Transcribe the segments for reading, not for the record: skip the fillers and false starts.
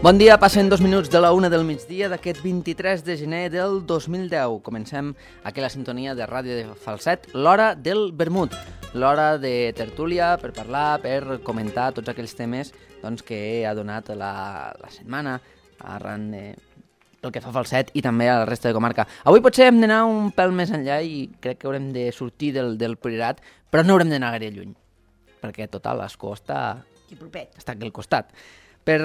Bon dia, passen 2 minuts de la 1 del migdia d'aquest 23 de gener del 2010. Comencem aquí la sintonia de Ràdio de Falset, l'hora del vermut, l'hora de tertúlia per parlar, per comentar tots aquells temes que ha donat la setmana arran pel que fa a Falset i també a la resta de comarca. Avui potser hem d'anar un pèl més enllà i crec que haurem de sortir del Priorat, però no haurem d'anar gaire lluny, perquè total, l'Escó està aquí al costat. Per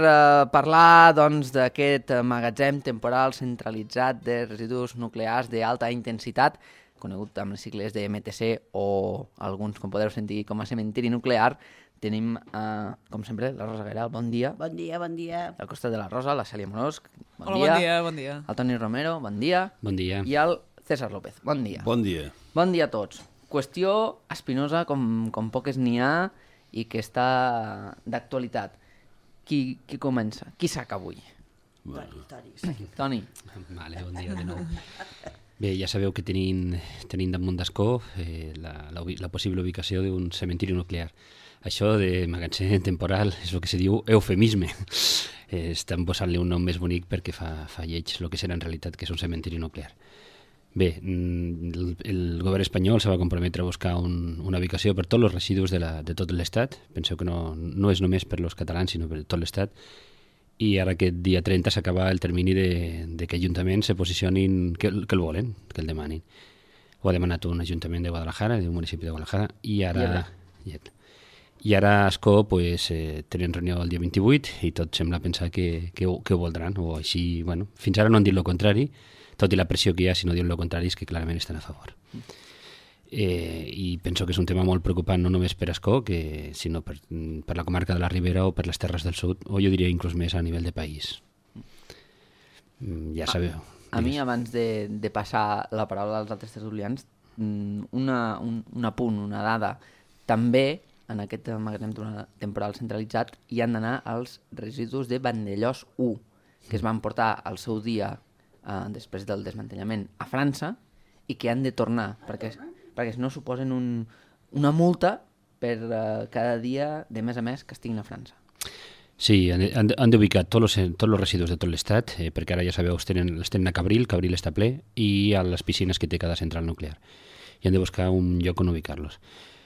parlar d'aquest magatzem temporal centralitzat de residus nuclears d'alta intensitat, conegut amb les sigles de MTC o alguns, com podeu sentir, com a cementiri nuclear, tenim, com sempre, la Rosa Gairal. Bon dia. Bon dia, bon dia. Al costat de la Rosa, la Cèlia Morós. Hola, bon dia. El Toni Romero, bon dia. Bon dia. I el César López, bon dia. Bon dia. Bon dia a tots. Qüestió espinosa com poques n'hi ha i que està d'actualitat. Qui comença? Qui saca avui? Toni. Vale, bon dia de nou. Bé, ja sabeu que tenim damunt d'Escó la possible ubicació d'un cementiri nuclear. Això de magatzem temporal és el que se diu eufemisme. Estan posant-li un nom més bonic perquè fa lleig el que serà en realitat que és un cementiri nuclear. Bé, el govern espanyol se va comprometre a buscar una ubicació per tots els residus de tot l'Estat. Penseu que no és només per als catalans, sinó per tot l'Estat. I ara aquest dia 30 s'acaba el termini de que ajuntaments se posicionin, que el volen, que el demanin. Ho ha demanat un ajuntament de Guadalajara, d'un municipi de Guadalajara, i ara a Ascó tenen reunió el dia 28 i tot sembla pensar que ho voldran, o així, bueno, fins ara no han dit el contrari, tot i la pressió que hi ha, si no diuen el contrari, és que clarament estan a favor. I penso que és un tema molt preocupant, no només per Ascó, sinó per la comarca de la Ribera o per les Terres del Sud, o jo diria inclús més a nivell de país. Ja sabeu. A mi, abans de passar la paraula als altres tertulians, un apunt, una dada. També, en aquest magatzem temporal centralitzat, hi han d'anar els residus de Vandellòs 1, que es van portar al seu dia després del desmantellament a França i que han de tornar perquè si no suposen una multa per cada dia de mes a mes que estiguin a França. Sí, han d'ubicar tots els residus de tot l'Estat, perquè ara ja sabeu, els tenen a Cabril està ple, i a les piscines que té cada central nuclear. I han de buscar un lloc on ubicar-los.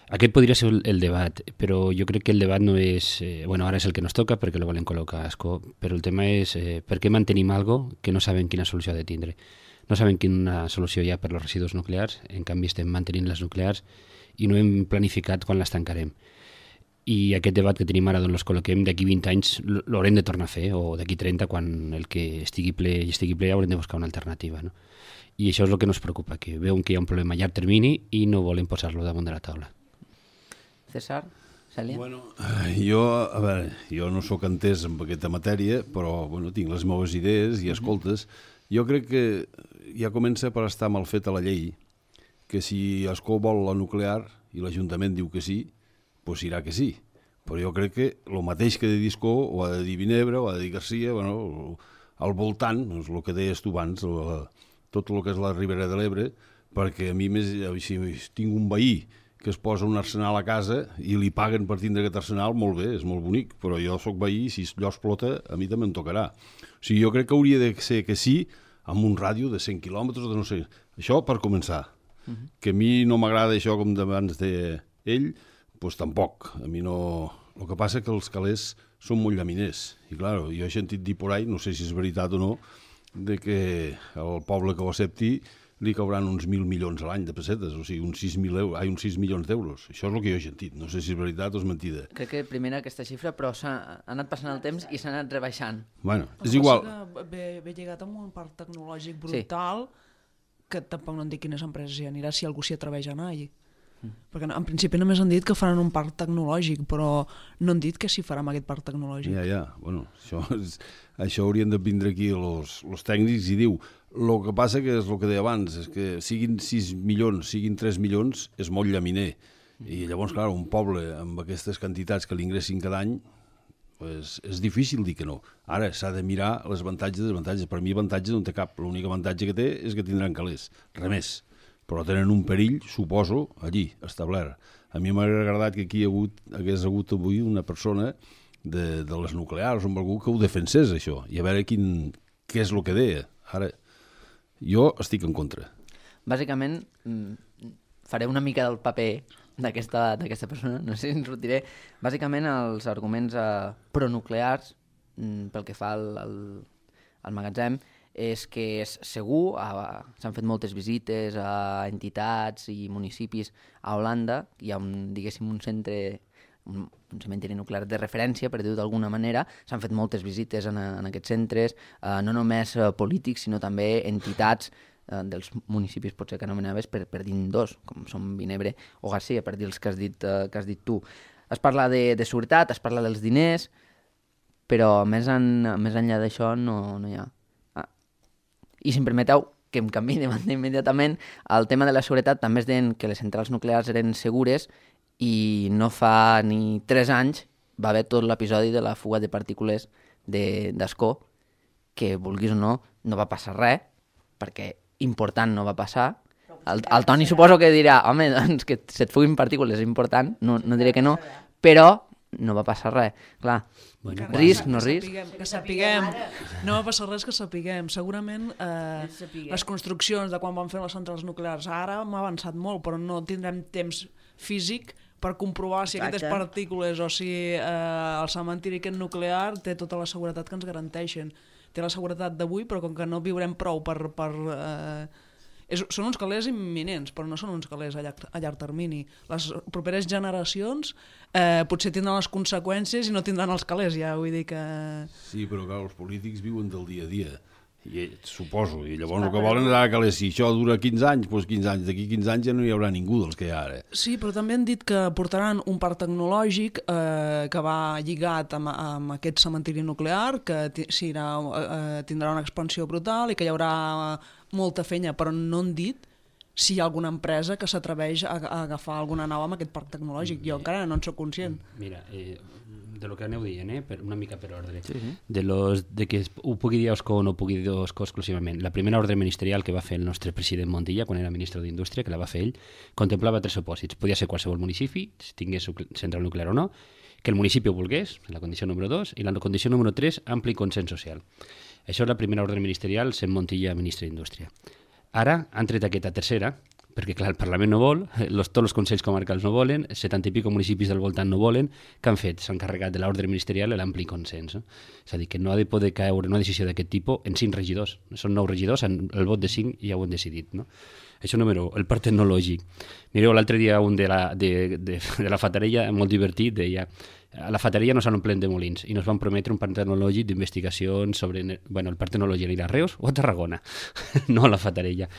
Aquest podria ser el debat, però jo crec que el debat no és... ara és el que nos toca perquè lo volen col·locar a Ascó, però el tema és per què mantenim algo que no saben quina solució ha de tindre. No saben quina solució hi ha per als residus nuclears, en canvi estem mantenint les nuclears i no hem planificat quan les tancarem. I aquest debat que tenim ara d'on els col·loquem, d'aquí 20 anys l'haurem de tornar a fer, o d'aquí 30, quan el que estigui ple haurem de buscar una alternativa, no? I això és el que ens preocupa, que veuen que hi ha un problema a llarg termini i no volen posar-lo damunt de la taula. César, Cèlia? Bueno, jo no sóc entès en aquesta matèria, però tinc les meves idees i escoltes. Jo crec que ja comença per estar mal feta la llei, que si Ascó vol la nuclear i l'Ajuntament diu que sí, doncs dirà que sí. Però jo crec que el mateix que ha de dir Ascó, o ha de dir Vinebre, o ha de dir Garcia, al voltant, doncs el que deies tu abans, tot el que és la Ribera de l'Ebre, perquè a mi si tinc un veí que es posa un arsenal a casa i li paguen per tindre aquest arsenal, molt bé, és molt bonic, però jo sóc veí i si allò explota, a mi també em tocarà. O sigui, jo crec que hauria de ser que sí, amb un ràdio de 100 quilòmetres, de no sé. Això per començar. Que a mi no m'agrada això com d'abans d'ell, doncs tampoc. A mi no... El que passa que els calés són molt llaminers. I clar, jo he sentit dir por ahí, no sé si és veritat o no, de que el poble que ho accepti li cauran uns 1.000 milions a l'any de pessetes, o sigui, uns 6 milions d'euros. Això és el que jo he sentit, no sé si és veritat o és mentida. Crec que primera aquesta xifra, però s'ha anat passant el temps i s'ha anat rebaixant. Bueno, és igual. Ve lligat amb un parc tecnològic brutal, que tampoc no em dic quines empreses hi anirà, si algú s'hi atreveix a anar allí. Perquè en principi només han dit que faran un parc tecnològic, però no han dit que s'hi farà amb aquest parc tecnològic. Bueno, això haurien de vindre aquí els tècnics i diu, el que passa que és el que deia abans, és que siguin 6 milions, siguin 3 milions, és molt llaminer. I llavors, clar, un poble amb aquestes quantitats que l'ingressin cada any, és difícil dir que no. Ara s'ha de mirar les avantatges i desavantatges. Per mi avantatges no té cap, l'únic avantatge que té és que tindran calés, res més. Però tenen un perill, suposo, allí, establert. A mi m'ha agradat que aquí hagués hagut avui una persona de les nuclears o amb algú que ho defensés, això, i a veure què és el que deia. Ara, jo estic en contra. Bàsicament, faré una mica del paper d'aquesta persona, no sé si ens sortiré. Bàsicament, els arguments pronuclears, pel que fa al magatzem, és que és segur, s'han fet moltes visites a entitats i municipis a Holanda, hi ha diguéssim un cementiri nuclear de referència, per dir-ho d'alguna manera, s'han fet moltes visites en aquests centres, no només polítics, sinó també entitats dels municipis, potser que anomenaves, per dir dos, com són Vinebre o Garcia, per dir els que has dit tu. Es parla de seguretat, es parla dels diners, però més enllà d'això no hi ha. I si em permeteu que em canviï de banda immediatament, el tema de la seguretat també es deien que les centrals nuclears eren segures i no fa ni 3 anys va haver tot l'episodi de la fuga de partícules d'Ascó, que vulguis o no va passar res, perquè important no va passar. El Toni suposo que dirà, home, doncs que se't fuguin partícules és important, no diré que no, però no va passar res. Clar, bueno, risc, no risc. Que sapiguem. No va passar res, que sapiguem. Segurament les construccions de quan van fer les centrals nuclears ara m'ha avançat molt, però no tindrem temps físic per comprovar si aquestes partícules o si el cementiri aquest nuclear té tota la seguretat que ens garanteixen. Té la seguretat d'avui, però com que no viurem prou són uns calés imminents, però no són uns calés a llarg termini. Les properes generacions potser tindran les conseqüències i no tindran els calés, ja vull dir que... Sí, però clar, els polítics viuen del dia a dia, suposo, i llavors el que volen és que si això dura 15 anys, doncs 15 anys, d'aquí 15 anys ja no hi haurà ningú dels que hi ha ara. Sí, però també han dit que portaran un parc tecnològic que va lligat amb aquest cementiri nuclear, que tindrà una expansió brutal i que hi haurà molta feina, però no han dit si hi ha alguna empresa que s'atreveix a agafar alguna nau amb aquest parc tecnològic. Jo encara no en soc conscient. Mira, de lo que aneu dient, una mica per ordre, de que ho pugui dir Ascó o no pugui dir Ascó exclusivament. La primera ordre ministerial que va fer el nostre president Montilla, quan era ministre d'Indústria, que la va fer ell, contemplava 3 supòsits. Podia ser qualsevol municipi, si tingués central nuclear o no, que el municipi ho volgués, la condició número 2, i la condició número 3, ampli consens social. Això és la primera ordre ministerial, sent Montilla ministre d'Indústria. Ara han tret aquesta tercera, perquè clar, el Parlament no vol, tots els consells comarcals no volen, 70 i pico municipis del voltant no volen, que han fet? S'han carregat de l'ordre ministerial l'ampli consens. És a dir, que no ha de poder caure una decisió d'aquest tipus en 5 regidors. Són 9 regidors, el vot de 5 ja ho han decidit. No? Això número 1, el parc tecnològic. Mireu, l'altre dia un de la Fatarella, molt divertit, deia: a la Fatarella no s'han omplent de molins i nos van prometre un parc tecnològic d'investigacions sobre... Bueno, el parc tecnològic anirà a Reus o a Tarragona, no a la Fatarella.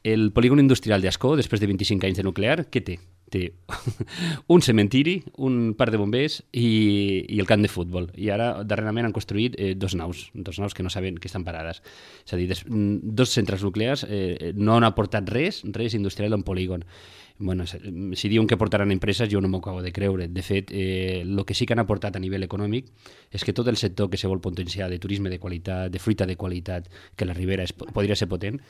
El polígon industrial d'Ascó, després de 25 anys de nuclear, què té? Té un cementiri, un parc de bombers i el camp de futbol. I ara, darrerament, han construït 2 naus que no saben que estan parades. És a dir, 2 centres nuclears no han aportat res industrial en polígon. Bueno, si diuen que portaran empreses, jo no m'ho acabo de creure. De fet, el que sí que han aportat a nivell econòmic és que tot el sector que se vol potenciar de turisme de qualitat, de fruita de qualitat, que la Ribera podria ser potent,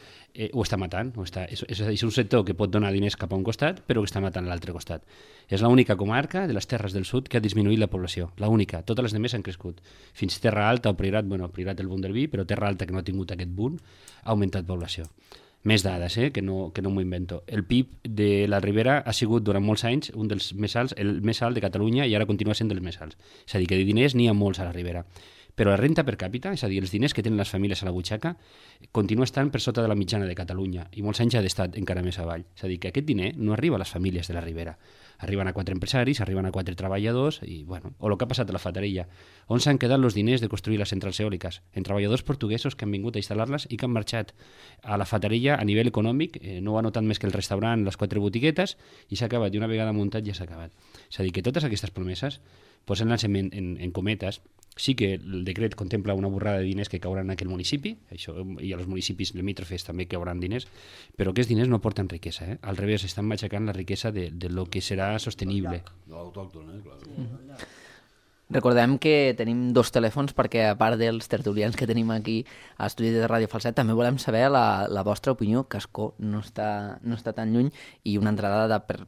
ho està matant. És un sector que pot donar diners cap a un costat, però que està matant l'altre costat. És l'única comarca de les Terres del Sud que ha disminuït la població. L'única. Totes les demés han crescut. Fins Terra Alta o Priorat, Priorat el boom del vi, però Terra Alta, que no ha tingut aquest boom, ha augmentat població. Més dades, que no m'ho invento. El PIB de la Ribera ha sigut durant molts anys un dels més alts, el més alt de Catalunya, i ara continua sent dels més alts. És a dir, que de diners n'hi ha molts a la Ribera. Però la renta per càpita, és a dir, els diners que tenen les famílies a la butxaca, continua estant per sota de la mitjana de Catalunya, i molts anys ha d'estar encara més avall. És a dir, que aquest diner no arriba a les famílies de la Ribera. Arriben a 4 empresaris, arriben a 4 treballadors, i, bueno, o el que ha passat a la Fatarella, on s'han quedat els diners de construir les centrals eòliques, en treballadors portuguesos que han vingut a instal·lar-les i que han marxat. A la Fatarella, a nivell econòmic, no ho ha notat més que el restaurant, les 4 botiguetes, i s'ha acabat, i una vegada muntat ja s'ha acabat. És a dir, que totes aquestes promeses, posant-les en cometes, sí que el decret contempla una borrada de diners que cauran en aquell municipi, això, i als municipis limítrofes també cauran diners, però aquests diners no porten riquesa. Al revés, estan matxacant la riquesa de lo que serà sostenible. L'autòctona, clar. Recordem que tenim 2 telèfons perquè, a part dels tertulians que tenim aquí a l'estudi de Ràdio Falset, també volem saber la vostra opinió, que Ascó no està tan lluny, i una entrada per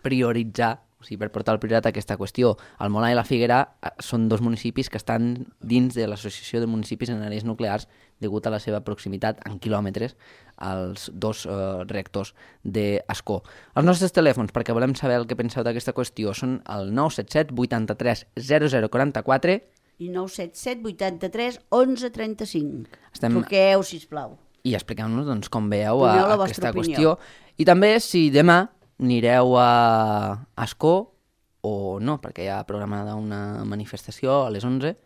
prioritzar O sigui, per portar el Priorat a aquesta qüestió. El Molar i la Figuera són dos municipis que estan dins de l'Associació de Municipis en Àrees Nuclears degut a la seva proximitat en quilòmetres als dos reactors d'Ascó. Els nostres telèfons, perquè volem saber el que penseu d'aquesta qüestió, són el 977 83 0044 i 977 83 11 35. Truqueu, sisplau. I expliqueu-nos doncs, com veieu aquesta opinió. qüestió. I també si demà anireu a Ascó o no, perquè hi ha programada una manifestació a les 11.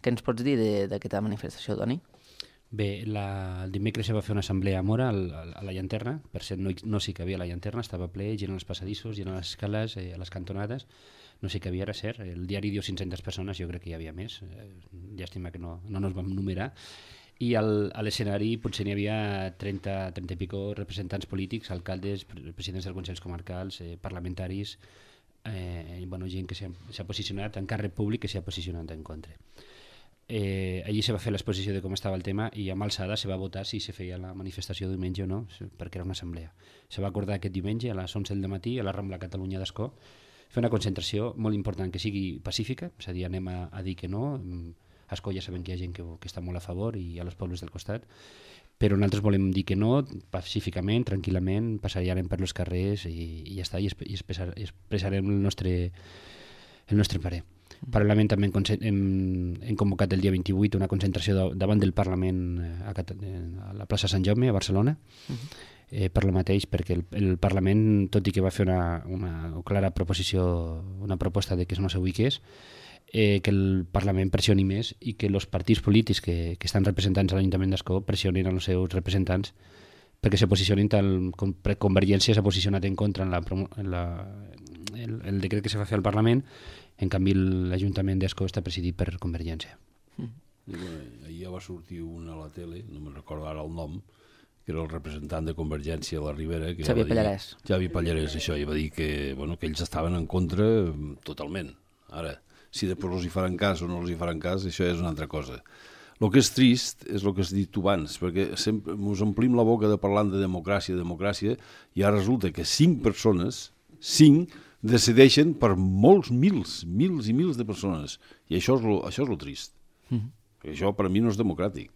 Què ens pots dir d'aquesta manifestació, Toni? Bé, el dimecres se va fer una assemblea a Mora, a la llanterna. Per cert, no sí que havia la llanterna, estava ple, gent als passadissos, gent a les escales, a les cantonades. No sé què havia, era cert. El diari diu 500 persones, jo crec que hi havia més. Llàstima que no ens vam numerar. I a l'escenari potser n'hi havia 30 i pico representants polítics, alcaldes, presidents dels consells comarcals, parlamentaris, gent que s'ha posicionat en càrrec públic, que s'ha posicionat en contra. Allí se va fer l'exposició de com estava el tema i amb alçada se va votar si se feia la manifestació diumenge o no, perquè era una assemblea. Se va acordar aquest diumenge a les 11 del matí a la Rambla Catalunya d'Ascó fer una concentració molt important que sigui pacífica, és a dir, anem a dir que no. A Ascó ja sabem que hi ha gent que està molt a favor i a los pobles del costat, però nosaltres volem dir que no, pacíficament, tranquil·lament, passarem per els carrers i ja està, i expressarem el nostre parer. Paral·lelament també hem convocat el dia 28 una concentració davant del Parlament a la plaça Sant Jaume, a Barcelona, per lo mateix, perquè el Parlament, tot i que va fer una clara proposició, una proposta de que no s'ubiqués, que el Parlament pressioni més i que els partits polítics que estan representats a l'Ajuntament d'Ascó pressionin els seus representants perquè se posicionin tal com Convergència s'ha posicionat en contra en el decret que se va fer al Parlament. En canvi l'Ajuntament d'Ascó està presidit per Convergència. Ahir ja va sortir un a la tele, no me'n recordo ara el nom, que era el representant de Convergència a la Ribera, Xavi Pallarès. Xavi Pallarès, això, i va dir que ells estaven en contra totalment. Ara, si després els hi faran cas o no els hi faran cas, això és una altra cosa. El que és trist és el que has dit tu abans, perquè sempre ens omplim la boca de parlant de democràcia, i ara resulta que 5 persones, 5, decideixen per molts mils i mils de persones. I això és el trist. Perquè això per a mi no és democràtic.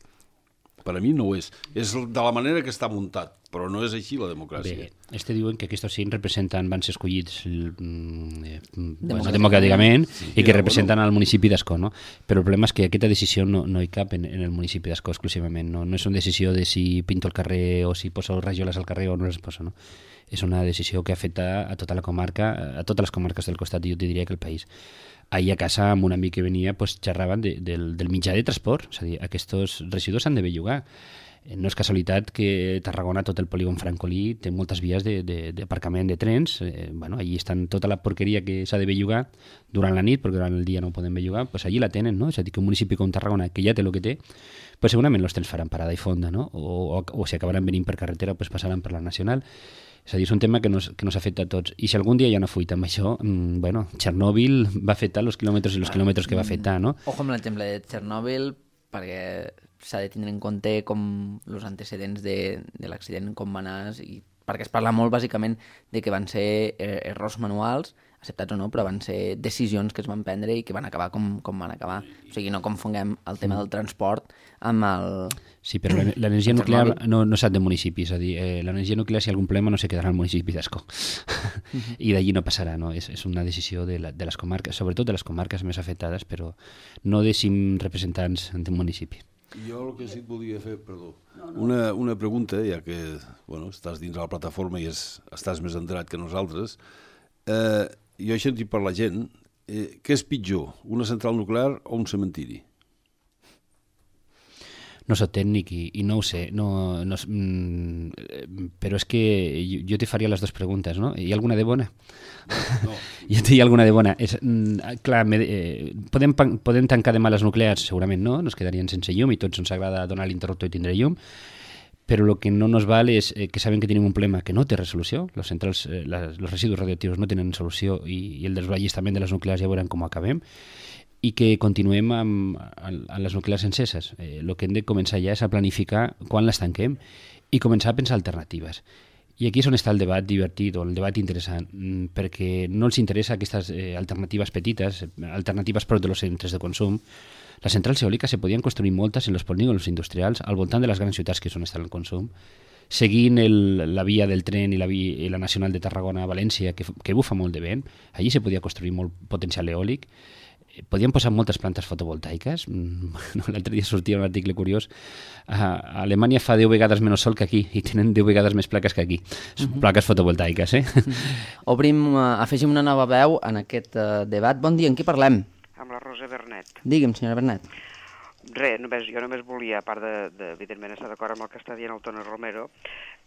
Per a mi no ho és. És de la manera que està muntat, però no és així la democràcia. Bé, diuen que aquests 5 van ser escollits democràticament i que representen al municipi d'Ascó, no? Però el problema és que aquesta decisió no hi cap en el municipi d'Ascó exclusivament. No és una decisió de si pinto el carrer o si poso rajoles al carrer o no les poso, no? És una decisió que afecta a tota la comarca, a totes les comarques del costat, i jo te diria que el país. Ahir a casa, amb un amic que venia, xerraven del mitjà de transport. És a dir, aquests residus s'han de bellugar. No és casualitat que Tarragona, tot el polígon francolí, té moltes vies d'aparcament de trens. Allí estan tota la porqueria que s'ha de bellugar durant la nit, perquè durant el dia no ho poden bellugar, allí la tenen, no? És a dir, que un municipi com Tarragona, que ja té el que té, segurament els trens faran parada i fonda, no? O si acabaran venint per carretera, passaran per la nacional. És a dir, és un tema que nos afecta a tots. I si algun dia hi ha una fuita amb això, Txernòbil va afectar els quilòmetres i els quilòmetres que va afectar, no? Ojo amb l'exemple de Txernòbil, perquè s'ha de tindre en compte com els antecedents de l'accident, com va anar, perquè es parla molt bàsicament de que van ser errors manuals, acceptats o no, però van ser decisions que es van prendre i que van acabar com van acabar. O sigui, no confonguem el tema del transport amb el... Sí, però l'energia nuclear no sap de municipi, és a dir, l'energia nuclear, si hi ha algun problema, no se quedarà al municipi d'Ascó. I d'allí no passarà, no? És una decisió de les comarques, sobretot de les comarques més afectades, però no de 5 representants d'un municipi. Jo el que sí et volia fer, perdó, una pregunta, ja que estàs dins de la plataforma i estàs més enterat que nosaltres. Jo he sentit per la gent, què és pitjor, una central nuclear o un cementiri? No soc tècnic i no ho sé, però és que jo te faria les dues preguntes, no? Hi ha alguna de bona? No. Jo te hi ha alguna de bona. Clar, podem tancar demà les nuclears? Segurament no, nos quedarien sense llum i tots ens agrada donar l'interruptor i tindre llum, però el que no nos val és que sabem que tenim un problema que no té resolució, els residus radioactius no tenen solució i el desballestament de les nuclears ja veurem com acabem, i que continuem amb les nuclears enceses. El que hem de començar ja és a planificar quan les tanquem i començar a pensar alternatives. I aquí és on està el debat divertit o el debat interessant, perquè no els interessa aquestes alternatives petites, alternatives prop de los centres de consum. Les centrals eòliques se podien construir moltes en els polígons industrials al voltant de les grans ciutats que és on està el consum, seguint la via del tren i la nacional de Tarragona a València, que bufa molt de vent. Allí se podia construir molt potencial eòlic. Podien posar moltes plantes fotovoltaiques. L'altre dia sortia un article curiós. A Alemanya fa 10 vegades menys sol que aquí i tenen 10 vegades més plaques que aquí. Plaques fotovoltaiques, Afegim una nova veu en aquest debat. Bon dia, en qui parlem? Amb la Rosa Bernet. Digue'm, senyora Bernet. Res, jo només volia, a part evidentment, estar d'acord amb el que està dient el Toni Romero,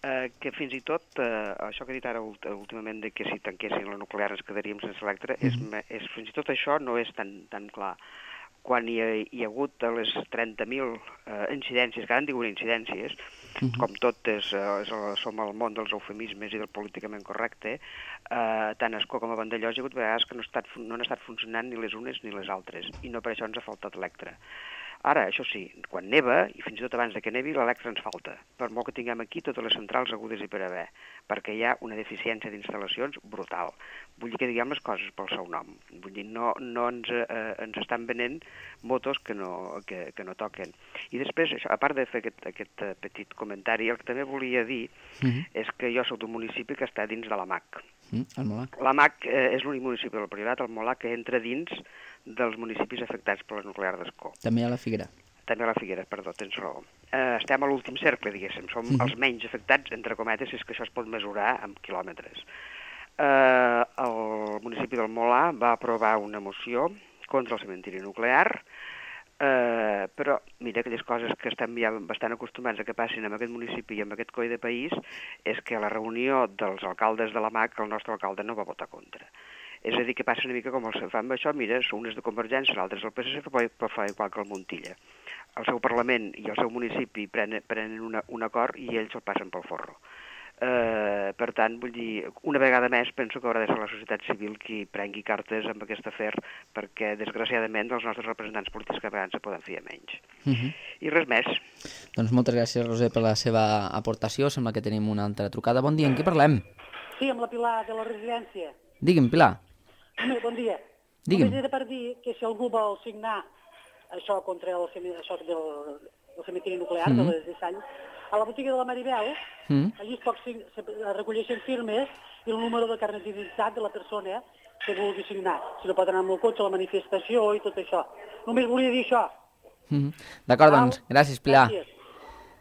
que fins i tot, això que he dit ara últimament, de que si tanquessin la nuclear ens quedaríem sense electre, fins i tot això no és tan clar. Quan hi ha hagut les 30.000 incidències, que ara en diuen incidències, com tot som al món dels eufemismes i del políticament correcte, tant a Ascó com a Vandellòs hi ha hagut vegades que no han estat funcionant ni les unes ni les altres, i no per això ens ha faltat electre. Ara, això sí, quan neva, i fins i tot abans que nevi, l'electre ens falta, per molt que tinguem aquí totes les centrals agudes i per haver, perquè hi ha una deficiència d'instal·lacions brutal. Vull dir que diguem les coses pel seu nom. Vull dir, no ens estan venent motos que no toquen. I després, a part de fer aquest petit comentari, el que també volia dir és que jo soc d'un municipi que està dins de la MAC. El Molac. La MAC és l'únic municipi del Priorat, el Molac, que entra dins dels municipis afectats per la nuclear d'Ascó. També a la Figuera. També a la Figuera, perdó, tens raó. Estem a l'últim cercle, diguéssim. Som els menys afectats, entre cometes, si és que això es pot mesurar amb quilòmetres. El municipi del Molà va aprovar una moció contra el cementiri nuclear, però mira, aquelles coses que estem ja bastant acostumats a que passin en aquest municipi i en aquest coi de país és que a la reunió dels alcaldes de la MAC el nostre alcalde no va votar contra. És a dir, que passa una mica com el fan amb això, mira, són uns de Convergència, altres del PSC, però fa igual que el Montilla. El seu Parlament i el seu municipi prenen un acord i ells el passen pel forro. Per tant, vull dir, una vegada més penso que haurà de ser la societat civil qui prengui cartes amb aquest afer, perquè desgraciadament els nostres representants polítics que a vegades se poden fer menys. I res més. Doncs moltes gràcies, Roser, per la seva aportació. Sembla que tenim una altra trucada. Bon dia, en qui parlem? Sí, amb la Pilar de la residència. Digui'm, Pilar. Bon dia. Digui'm. Només era per dir que si algú vol signar això contra el cementiri nuclear de les Dessany, a la botiga de la Maribel, allí es recolleixen firmes i el número de carnet d'identitat de la persona que vulgui signar. Si no pot anar amb el cotxe a la manifestació i tot això. Només volia dir això. D'acord, doncs. Gràcies, Pilar. Gràcies.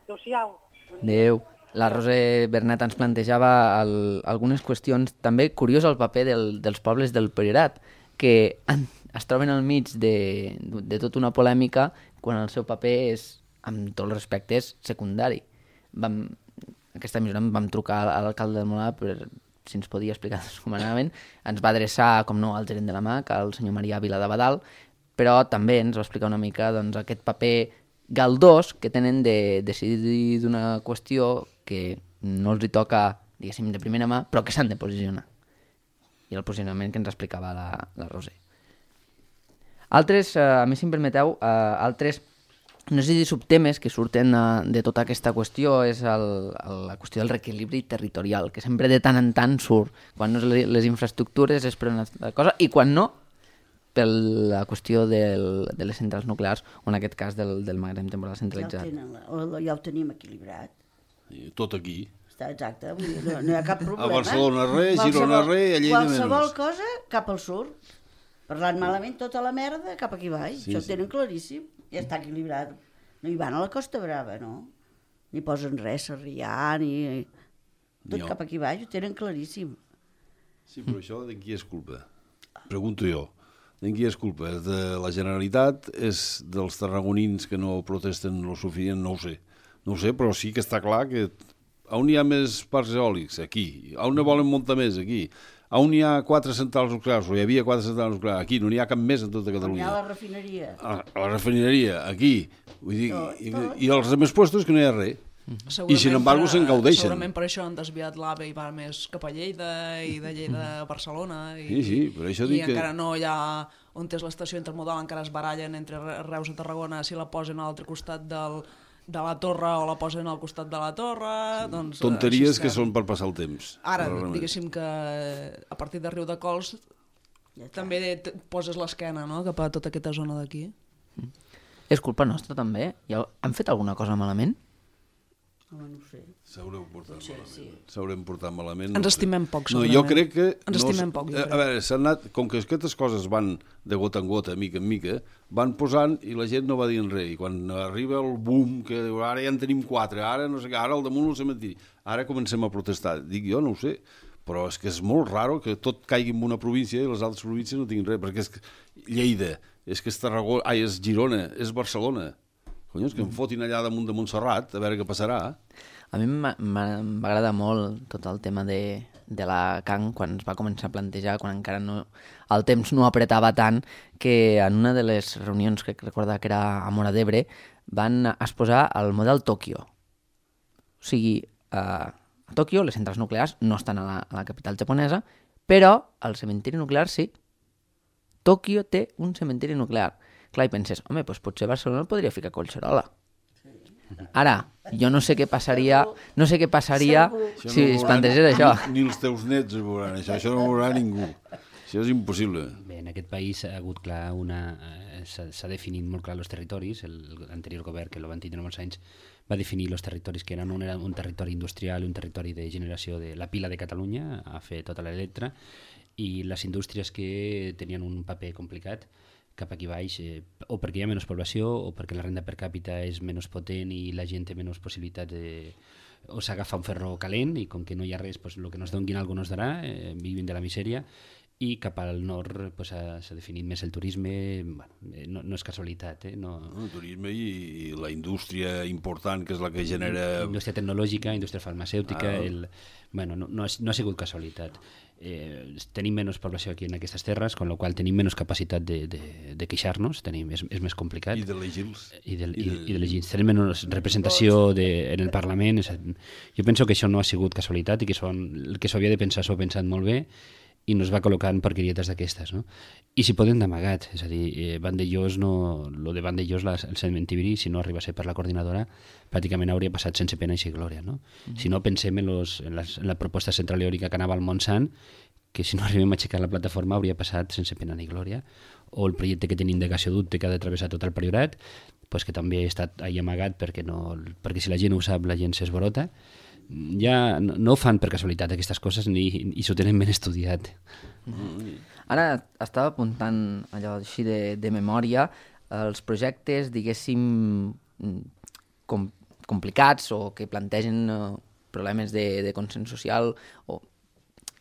Adéu-siau. Adéu. La Roser Bernet ens plantejava algunes qüestions. També curiós el paper dels pobles del Priorat, que es troben al mig de tota una polèmica quan el seu paper és, amb tots els respectes, secundari. Aquesta emissora vam trucar a l'alcalde del Molà per si ens podia explicar com anaven. Ens va adreçar, com no, al gerent de la MAC, al senyor Marià Vila de Badal, però també ens va explicar una mica aquest paper galdós que tenen de decidir d'una qüestió que no els hi toca, diguéssim, de primera mà, però que s'han de posicionar. I el posicionament que ens explicava la Roser. Altres, a més, si em permeteu, altres, no sé si subtemes que surten de tota aquesta qüestió és la qüestió del reequilibri territorial, que sempre de tant en tant surt. Quan no és les infraestructures és per una cosa, i quan no, per la qüestió de les centrals nuclears, o en aquest cas del magatzem temporal centralitzat. Ja ho tenim equilibrat. Tot aquí. Està exacte, no hi ha cap problema. A Barcelona res, Girona res, a Lleida menys. Qualsevol cosa cap al sud. Parlant malament, tota la merda cap aquí baix. Sí, això ho tenen claríssim. Ja està equilibrat. No hi van a la Costa Brava, no? Ni posen res, Sarrià, ni... Tot cap aquí baix, ho tenen claríssim. Sí, però això de qui és culpa? Pregunto jo. De qui és culpa? És de la Generalitat? És dels tarragonins que no protesten lo suficient? No ho sé. No ho sé, però sí que està clar que on hi ha més parcs eòlics? Aquí. On ne volen muntar més? Aquí. On hi ha 4 centrals nuclears? O hi havia 4 centrals nuclears? Aquí. No n'hi ha cap més en tota Catalunya. On hi ha la refineria. A la refineria, aquí. Vull dir, i als altres puestos que no hi ha res. I sin embargo se'n gaudeixen. Segurament per això han desviat l'AVE i va més cap a Lleida i de Lleida a Barcelona. Sí, per això dic que... encara no hi ha... On és l'estació intermodal encara es barallen entre Reus i Tarragona si la posen a l'altre costat de la torre o la posen al costat de la torre... Doncs, tonteries que són per passar el temps. Ara, diguéssim que a partir de Riudecols també poses l'esquena, no?, cap a tota aquesta zona d'aquí. És culpa nostra, també? Han fet alguna cosa malament? No ho sé. S'haurem portat malament. Sí. S'haurem portat malament. Ens estimem poc, segurament. No, jo crec que... Ens estimem poc, jo crec. A veure, s'han anat... Com que aquestes coses van de gota en gota, mica en mica, van posant i la gent no va dient res. I quan arriba el boom, que diu, ara ja en tenim 4, ara no sé què, ara al damunt el cementiri, ara comencem a protestar. Dic, jo no ho sé, però és que és molt raro que tot caigui en una província i les altres províncies no tinguin res, perquè és Lleida, és que és Tarragona, és Girona, és Barcelona. Collons, que em fotin allà damunt de Montserrat, a veure què passarà. A mi m'agrada molt tot el tema de la Can, quan es va començar a plantejar, quan encara el temps no apretava tant, que en una de les reunions, que recorda que era a Móra d'Ebre, van exposar el model Tòquio. O sigui, a Tòquio les centrals nuclears no estan a la capital japonesa, però el cementiri nuclear sí. Tòquio té un cementiri nuclear. Clar, i penses, home, doncs potser Barcelona podria ficar Collserola. Ara, jo no sé què passaria si es plantegés això. Ni els teus nets ho veuran, això no ho veurà ningú. Això és impossible. Bé, en aquest país ha hagut clar s'ha definit molt clar els territoris. L'anterior govern, que el van tindre molts anys, va definir els territoris que eren un territori industrial, un territori de generació de la pila de Catalunya, a fer tota l'electra, i les indústries que tenien un paper complicat cap aquí baix, o perquè hi ha menys població o perquè la renda per càpita és menys potent i la gent té menys possibilitats o s'agafa un ferro calent i com que no hi ha res, pues, el que nos donguin algo nos darà, vivim de la misèria, i cap al nord pues, s'ha definit més el turisme. Bueno, no és casualitat. El turisme i la indústria important, que és la que genera... Indústria tecnològica, indústria farmacèutica... no ha sigut casualitat. Tenim menys població aquí en aquestes terres, amb la qual tenim menys capacitat de queixar-nos, és més complicat. I d'elegir-los. I d'elegir. Tenim menys representació en el Parlament. Jo penso que això no ha sigut casualitat i que el que s'havia de pensar s'ho ha pensat molt bé i no es va col·locar en porquerietes d'aquestes, no? I si poden d'amagat, és a dir, Vandellós, lo de Vandellós, el cementiri, si no arriba a ser per la coordinadora, pràcticament hauria passat sense pena i glòria, no? Si no, pensem en la proposta central eòlica que anava al Montsant, que si no arribem a aixecar la plataforma hauria passat sense pena ni glòria, o el projecte que tenim de gasoducte que ha de travessar tot el Priorat, pues que també ha estat ahí amagat perquè si la gent ho sap, la gent s'esborota. Ja no ho fan per casualitat aquestes coses i s'ho tenen ben estudiat. Ara estava apuntant allò així de memòria els projectes, diguéssim, complicats o que plantegen problemes de consens social o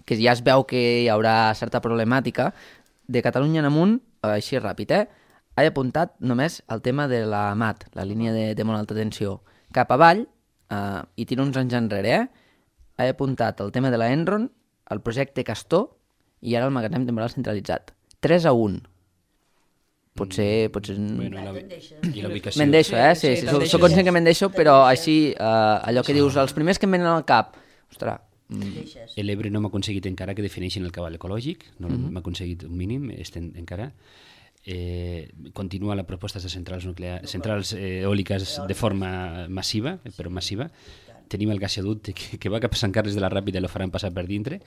que ja es veu que hi haurà certa problemàtica. De Catalunya en amunt, així ràpid, he apuntat només el tema de la MAT, la línia de molt alta tensió. Cap avall, i tiro uns anys enrere, he apuntat el tema de la Enron, el projecte Castor i ara el magatzem temporal centralitzat. 3-1. Potser... Bueno, i la ubicació. Me'n deixo, sí, soc conscient que me'n deixo, però així, allò que dius, els primers que em venen al cap, ostres... L'Ebre no m'ha aconseguit encara que defineixin el cabal ecològic, no m'ha aconseguit un mínim, encara... continua la proposta de centrals eòliques de forma massiva, però massiva. Tenim el gasoducte que va cap a Sant Carles de la Ràpida i lo faran passar per dintre.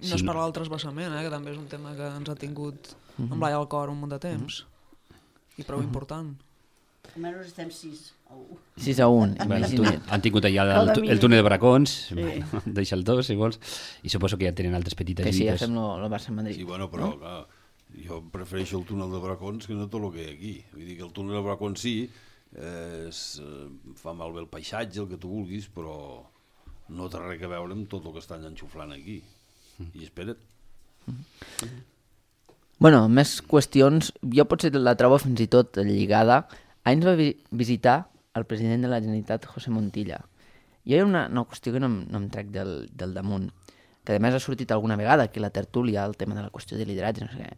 No es parla del transvasament, que també és un tema que ens ha tingut amb l'ai al cor un munt de temps i prou important. Almenys estem 6-1. 6-1. Han tingut allà el túnel de Bracons, deixa el 2 si vols, i suposo que ja tenen altres petites que sí, lluites. ja fem el Barça-Madrid. Sí, bueno, però clar, jo prefereixo el túnel de Bracons que no tot el que hi ha aquí. Vull dir que el túnel de Bracons sí, fa malbé el paisatge, el que tu vulguis, però no té res a veure amb tot el que estan enxuflant aquí. I espera't. Bueno, més qüestions. Jo potser la trobo fins i tot lligada. Ahir ens va visitar el president de la Generalitat, José Montilla. I hi ha una qüestió que no em trec del damunt, que a més ha sortit alguna vegada aquí a la tertúlia, el tema de la qüestió de lideratge, no sé què.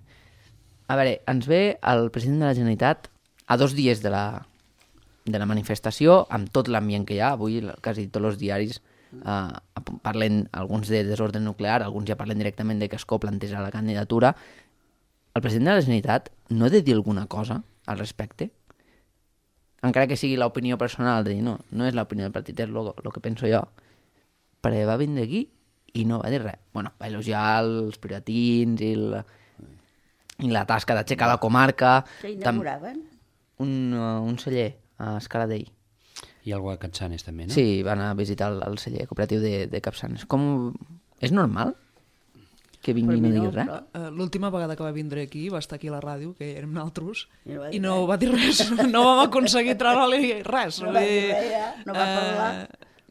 A veure, ens ve el president de la Generalitat a 2 dies de la manifestació, amb tot l'ambient que hi ha. Avui quasi tots els diaris parlen, alguns de desordre nuclear, alguns ja parlen directament de que Escó planteja la candidatura. El president de la Generalitat no ha de dir alguna cosa al respecte? encara que sigui l'opinió personal, de dir, no és l'opinió del partit, és el que penso jo, perquè va vindre aquí i no va dir res. Bueno, va elogiar els piratins i la tasca d'aixecar la comarca. Què inauguraven? Un celler a Escaladell. I algú a Capçanes també, no? Sí, van a visitar el celler cooperatiu de Capçanes. És normal que vingui i no digui res? L'última vegada que va vindre aquí, va estar aquí a la ràdio, que érem nosaltres, i no va dir res. No vam aconseguir treure-li res. No va dir res, no va parlar.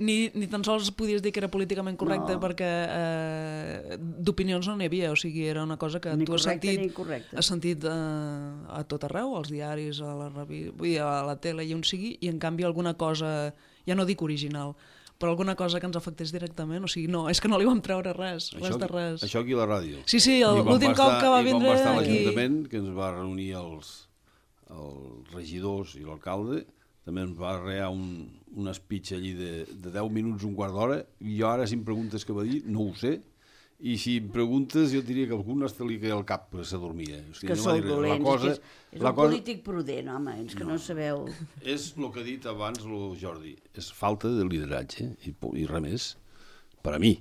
Ni tan sols podies dir que era políticament correcte, perquè d'opinions no n'hi havia, o sigui, era una cosa que tu has sentit a tot arreu, als diaris, a la tele i on sigui, i en canvi alguna cosa, ja no dic original, però alguna cosa que ens afectés directament, o sigui, no, és que no li vam treure res, res de res. Això aquí a la ràdio. Sí, l'últim cop que va vindre aquí. I quan va estar a aquí... l'Ajuntament, que ens va reunir els regidors i l'alcalde, també ens va arrear un speech allí de 10 minuts, un quart d'hora, i jo ara, si em preguntes què va dir, no ho sé, i si em preguntes, jo diria que algun hasta li caia el cap, perquè s'adormia. Que sou dolents, és un polític prudent, home, és que no sabeu... És el que ha dit abans el Jordi, és falta de lideratge, i res més, per a mi.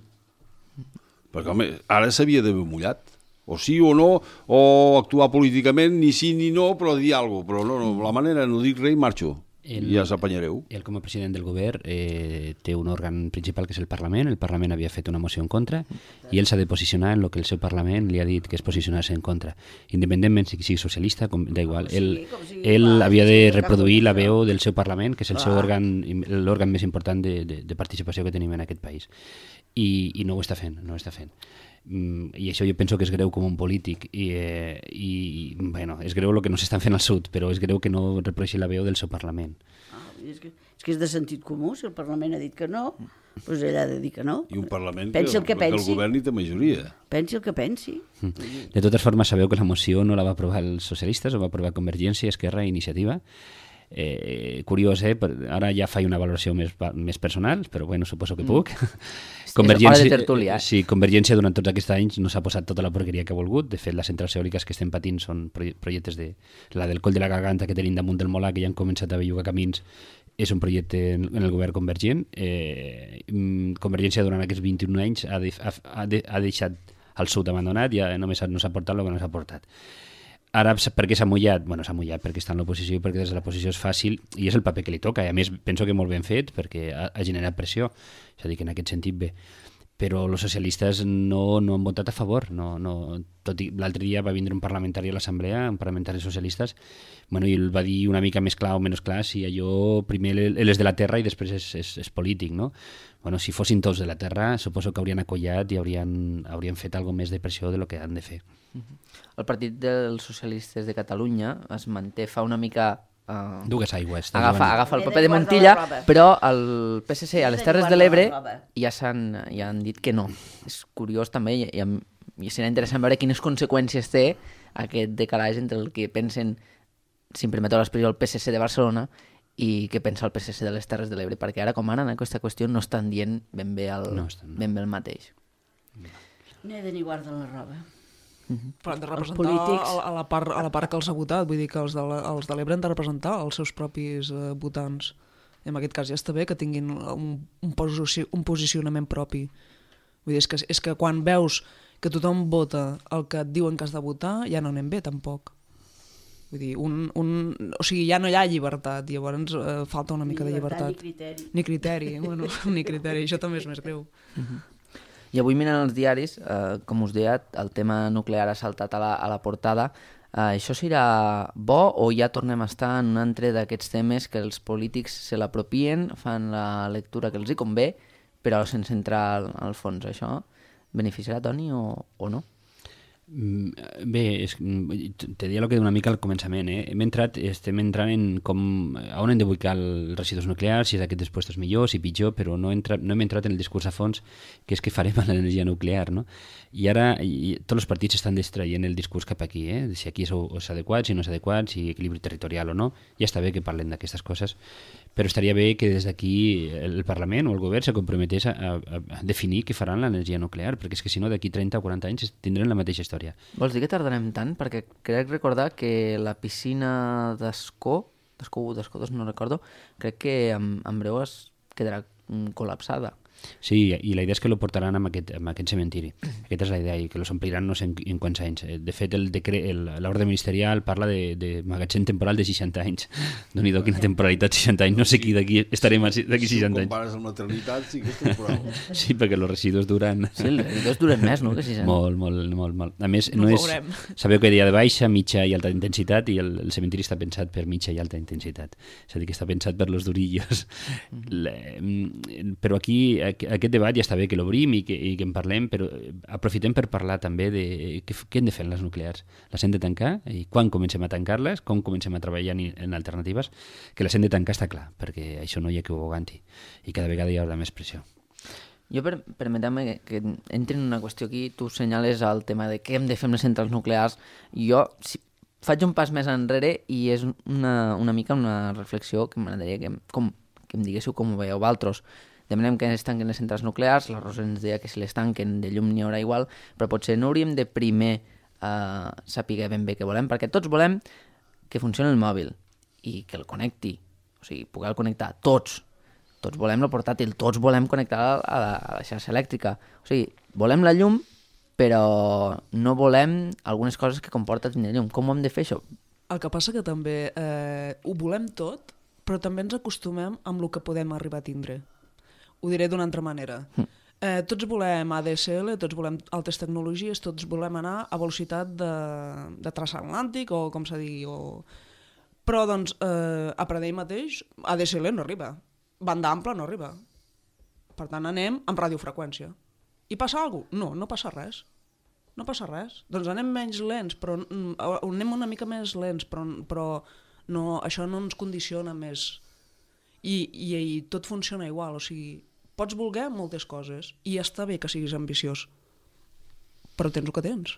Perquè, home, ara s'havia d'haver mullat, o sí o no, o actuar políticament, ni sí ni no, però dir alguna cosa, però no, la manera no dic res i marxo. Ja s'apanyareu. Ell, com a president del govern, té un òrgan principal que és el Parlament havia fet una moció en contra i ell s'ha de posicionar en el que el seu Parlament li ha dit que es posicionar-se en contra. Independentment si sigui socialista, da igual. Ell havia de reproduir la veu del seu Parlament, que és el seu l'òrgan més important de participació que tenim en aquest país. I no ho està fent, i això jo penso que és greu com un polític i bueno, és greu el que no s'estan fent al sud, però és greu que no reprodueixi la veu del seu Parlament. És que és de sentit comú, si el Parlament ha dit que no, doncs ell ha de dir que no. I un Parlament que el govern té majoria. Pensi el que pensi. De totes formes, sabeu que la moció no la va aprovar els socialistes, ho va aprovar Convergència, Esquerra i Iniciativa. Curiós, ara ja faig una valoració més personal, però bueno, suposo que puc. Convergència durant tots aquests anys no s'ha posat tota la porqueria que ha volgut. De fet, les centrals eòliques que estem patint són projectes la del Coll de la Garganta que tenim damunt del Molar, que ja han començat a bellugar camins, és un projecte en el govern convergent. Convergència durant aquests 21 anys ha deixat el sud abandonat i només no s'ha portat el que no s'ha portat. Ara, per què s'ha mullat? Bueno, s'ha mullat perquè està en l'oposició i perquè des de l'oposició és fàcil i és el paper que li toca. I a més, penso que molt ben fet perquè ha generat pressió. És a dir, que en aquest sentit bé. Però els socialistes no han votat a favor. Tot i l'altre dia va vindre un parlamentari a l'Assemblea, un parlamentari socialistes, i ell va dir una mica més clar o menys clar si allò primer ell és de la terra i després és polític, no? Si fossin tots de la terra, suposo que haurien acollat i haurien fet alguna més de pressió del que han de fer. El Partit dels Socialistes de Catalunya es manté fa una mica... Dues aigües. Agafa el paper de Montilla, però el PSC a les Terres de l'Ebre ja han dit que no. És curiós també i serà interessant veure quines conseqüències té aquest decalatge entre el que pensen, si em permeteu l'expressió, el PSC de Barcelona i què pensa el PSC de les Terres de l'Ebre, perquè ara com ara en aquesta qüestió no estan dient ben bé el mateix. N'he de ni guardar la roba. Però han de representar a la part que els ha votat, vull dir que els de l'Ebre han de representar els seus propis votants. I en aquest cas ja està bé que tinguin un posicionament propi. Vull dir, és que quan veus que tothom vota el que et diuen que has de votar, ja no anem bé tampoc. Vull dir, o sigui, ja no hi ha llibertat, llavors falta una mica de llibertat. Ni criteri. Ni criteri, això també és més greu. I avui mirant els diaris, com us deia, el tema nuclear ha saltat a la portada. Això serà bo o ja tornem a estar en un altre d'aquests temes que els polítics se l'apropien, fan la lectura que els hi convé, però sense entrar al fons? Això beneficiarà Toni o no? Bé, te deia el que una mica al començament. Estem entrant en on hem d'ubicar els residus nuclears, si és aquest després és millor, si pitjor, però no hem entrat en el discurs a fons, que és què farem amb l'energia nuclear, no? I ara tots els partits estan distraient el discurs cap aquí, si aquí és adequat, si no és adequat, si equilibri territorial o no. Ja està bé que parlen d'aquestes coses, però estaria bé que des d'aquí el Parlament o el govern se comprometés a definir què faran l'energia nuclear, perquè és que si no d'aquí 30 o 40 anys tindrem la mateixa història. Vols dir que tardarem tant? Perquè crec recordar que la piscina d'Ascó d'Escó 1, d'Escó 2, no recordo, crec que en breu es quedarà col·lapsada. Sí, i la idea és que lo portaran en aquest cementiri. Aquesta és la idea, i que los ompliran no sé en quants anys. De fet, l'ordre ministerial parla de magatzem temporal de 60 anys. Déu-n'hi-do, quina temporalitat, 60 anys. No sé qui d'aquí estarem d'aquí 60 anys. Si ho compares amb maternitat, sí que és temporal. Sí, perquè els residus duren... Sí, els residus duren més, no?, que 60 anys. Molt. A més, no és... Sabeu que hi ha de baixa, mitja i alta intensitat, i el cementiri està pensat per mitja i alta intensitat. És a dir, que està pensat per los durillos. Però aquí aquest debat ja està bé que l'obrim i que en parlem, però aprofitem per parlar també de què hem de fer en les nuclears. Les hem de tancar? I quan comencem a tancar-les? Com comencem a treballar en alternatives? Que les hem de tancar està clar, perquè això no hi ha que ho aguanti. I cada vegada hi haurà més pressió. Jo, permetem-me que entri en una qüestió aquí, tu senyales el tema de què hem de fer amb les centrals nuclears, i jo faig un pas més enrere i és una mica una reflexió que m'agradaria que em diguéssiu com ho veieu vosaltres. Demanem que es tanquen les centrals nuclears, la Rosa ens deia que si les tanquen de llum n'hi haurà igual, però potser no hauríem de primer saber ben bé què volem, perquè tots volem que funcioni el mòbil i que el connecti, o sigui, poder connectar tots volem el portàtil, tots volem connectar a la xarxa elèctrica, o sigui, volem la llum, però no volem algunes coses que comporta tenir llum. Com ho hem de fer, això? El que passa que també ho volem tot, però també ens acostumem amb el que podem arribar a tindre. Ho diré d'una altra manera. Tots volem ADSL, tots volem altes tecnologies, tots volem anar a velocitat de transatlàntic, o com s'ha dit, però doncs a Pradell mateix ADSL no arriba, banda ampla no arriba. Per tant anem amb radiofreqüència. I passa alguna cosa? No passa res. No passa res. Doncs anem menys lents, però anem una mica més lents, però no, això no ens condiciona més. I tot funciona igual, o sigui, pots voler moltes coses i està bé que siguis ambiciós, però tens el que tens.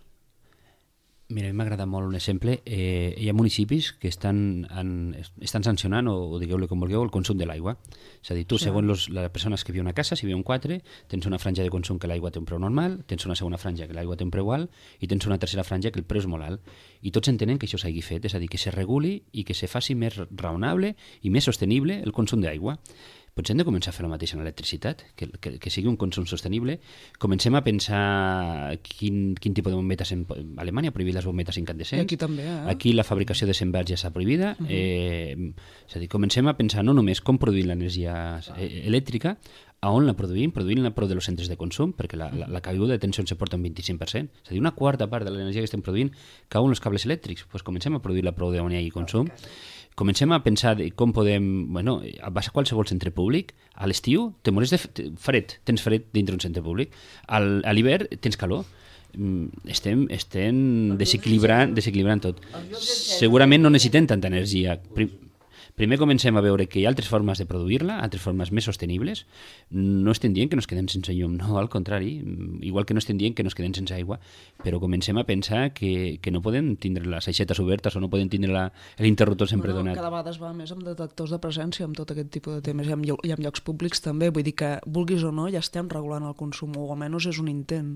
Mira, a mi m'agrada molt un exemple. Hi ha municipis que estan sancionant, o digueu-li com vulgueu, el consum de l'aigua. És a dir, tu, segons les persones que viuen a casa, si viuen 4, tens una franja de consum que l'aigua té un preu normal, tens una segona franja que l'aigua té un preu alt, i tens una tercera franja que el preu és molt alt. I tots entenen que això s'hagi fet, és a dir, que se reguli i que se faci més raonable i més sostenible el consum d'aigua. Potser hem de començar a fer el mateix en l'electricitat, que sigui un consum sostenible. Comencem a pensar quin tipus de bombetes... A Alemanya ha prohibit les bombetes incandescents. I aquí també, Aquí la fabricació de sembrats ja està prohibida. És a dir, comencem a pensar no només com produir l'energia elèctrica, a on la produïm-la prou dels centres de consum, perquè la caiguda de tensió se porta un 25%. És a dir, una quarta part de l'energia que estem produint cau en els cables elèctrics. Doncs comencem a produir-la prou d'on hi hagi consum. Comencem a pensar de com podem... Bueno, vas a qualsevol centre públic, a l'estiu te morís de fred, tens fred dintre un centre públic, a l'hivern tens calor. Estem desequilibrant tot. Segurament no necessitem tanta energia. Primer comencem a veure que hi ha altres formes de produir-la, altres formes més sostenibles. No estem dient que nos quedem sense llum, no, al contrari, igual que no estem dient que nos quedem sense aigua, però comencem a pensar que no podem tindre les aixetes obertes o no podem tindre l'interruptor sempre donat. Cada vegada es va més amb detectors de presència, amb tot aquest tipus de temes, i amb llocs públics també, vull dir que, vulguis o no, ja estem regulant el consum, o almenys és un intent.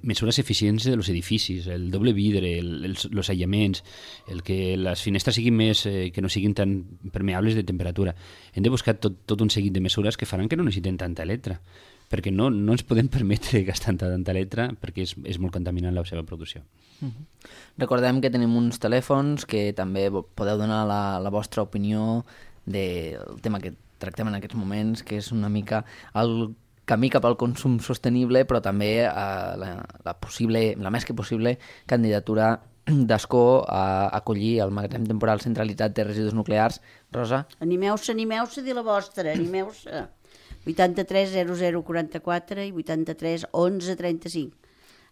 Mesures eficients dels edificis, el doble vidre, els aïllaments, el que les finestres siguin més, que no siguin tan permeables de temperatura. Hem de buscar tot un seguit de mesures que faran que no necessitem tanta electra, perquè no ens podem permetre gastar tanta electra perquè és molt contaminant la seva producció. Recordem que tenim uns telèfons que també podeu donar la vostra opinió del tema que tractem en aquests moments, que és una mica el camí cap al consum sostenible, però també la més que possible candidatura d'Escó a acollir el magatzem temporal centralitzat de residus nuclears. Rosa? Animeu-se a dir la vostra, animeu-se. 83 00 44 i 83 11 35.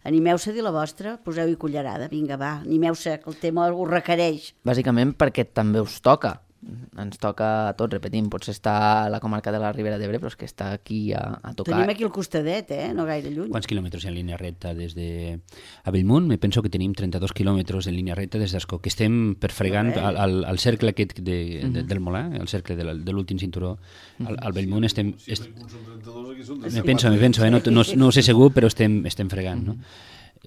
Animeu-se a dir la vostra, poseu-hi cullerada, vinga, va, animeu-se, que el tema ho requereix. Bàsicament perquè també us toca. Ens toca a tots, repetim, potser està a la comarca de la Ribera d'Ebre, però és que està aquí a tocar. Tenim aquí al costadet, no gaire lluny. Quants quilòmetres hi ha en línia recta des de... A Bellmunt me penso que tenim 32 quilòmetres en línia recta des d'Escó, que estem perfregant al cercle aquest del Molà, el cercle de l'últim cinturó. Al Bellmunt estem... Me penso, no ho sé segur, però estem fregant, no?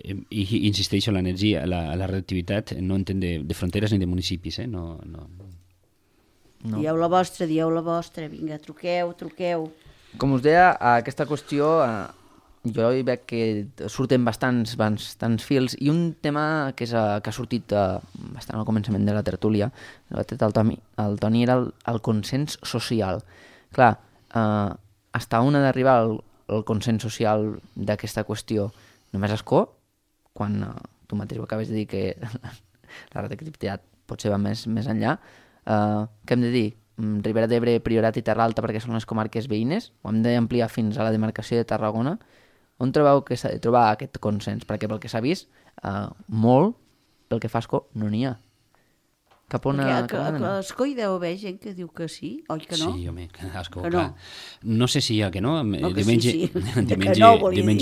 I insisteixo, l'energia, la radioactivitat no entén de fronteres ni de municipis, no No. Dieu la vostra, vinga, truqueu. Com us deia, aquesta qüestió jo hi veig que surten bastants fils i un tema que ha sortit bastant al començament de la tertúlia, el Toni, era el consens social. Clar, hasta on ha d'arribar el consens social d'aquesta qüestió? Només escó, quan tu mateix ho acabes de dir que la radioactivitat potser va més enllà, què hem de dir? Ribera d'Ebre, Priorat i Terra Alta perquè són les comarques veïnes? Ho hem d'ampliar fins a la demarcació de Tarragona? On trobeu que s'ha de trobar aquest consens? Perquè pel que s'ha vist, molt, pel que fa a Escó, no n'hi ha. Cap on perquè a Escó hi deu haver gent que diu que sí, oi que no? Sí, home, a Escó, que clar. No sé si hi ha que no. Diumenge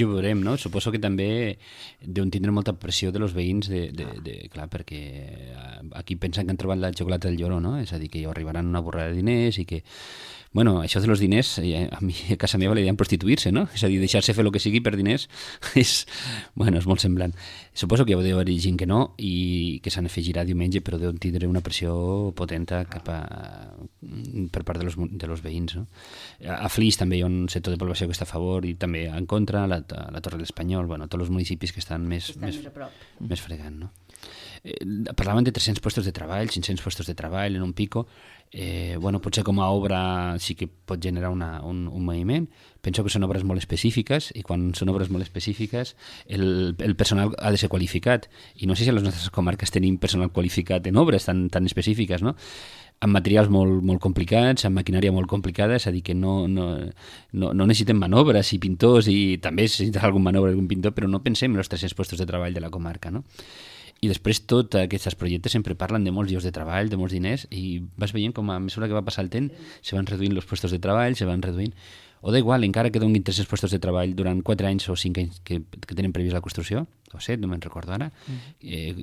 ho veurem, no? Suposo que també deuen tindre molta pressió de los veïns, clar, perquè aquí pensen que han trobat la xocolata del lloro, no? És a dir, que arribaran una borrada de diners i que... Bueno, això de los diners, a casa meva li deien prostituir-se, no? És a dir, deixar-se fer el que sigui per diners és molt semblant. Suposo que deu haver gent que no i que s'han de fer girar diumenge, però deuen tindre una pressió potent per part de los veïns, no? A Flix també hi ha un sector de població que està a favor i també en contra, la Torre de l'Espanyol, tots els municipis que estan més fregant, no? Parlaven de 300 puestos de treball, 500 puestos de treball en un pico. Potser com a obra sí que pot generar un moviment. Penso que són obres molt específiques i quan són obres molt específiques el personal ha de ser qualificat i no sé si a les nostres comarques tenim personal qualificat en obres tan específiques, no? Amb materials molt complicats, amb maquinària molt complicada, és a dir, que no necessitem manobres i pintors, i també necessita algun manobra algun pintor, però no pensem en els 300 puestos de treball de la comarca, no? I després tots aquests projectes sempre parlen de molts llocs de treball, de molts diners, i vas veient com a mesura que va passar el temps se van reduint els puestos de treball, se van reduint... O da igual, encara que donin 300 puestos de treball durant 4 anys o 5 anys que tenen previst la construcció, o 7, no me'n recordo ara,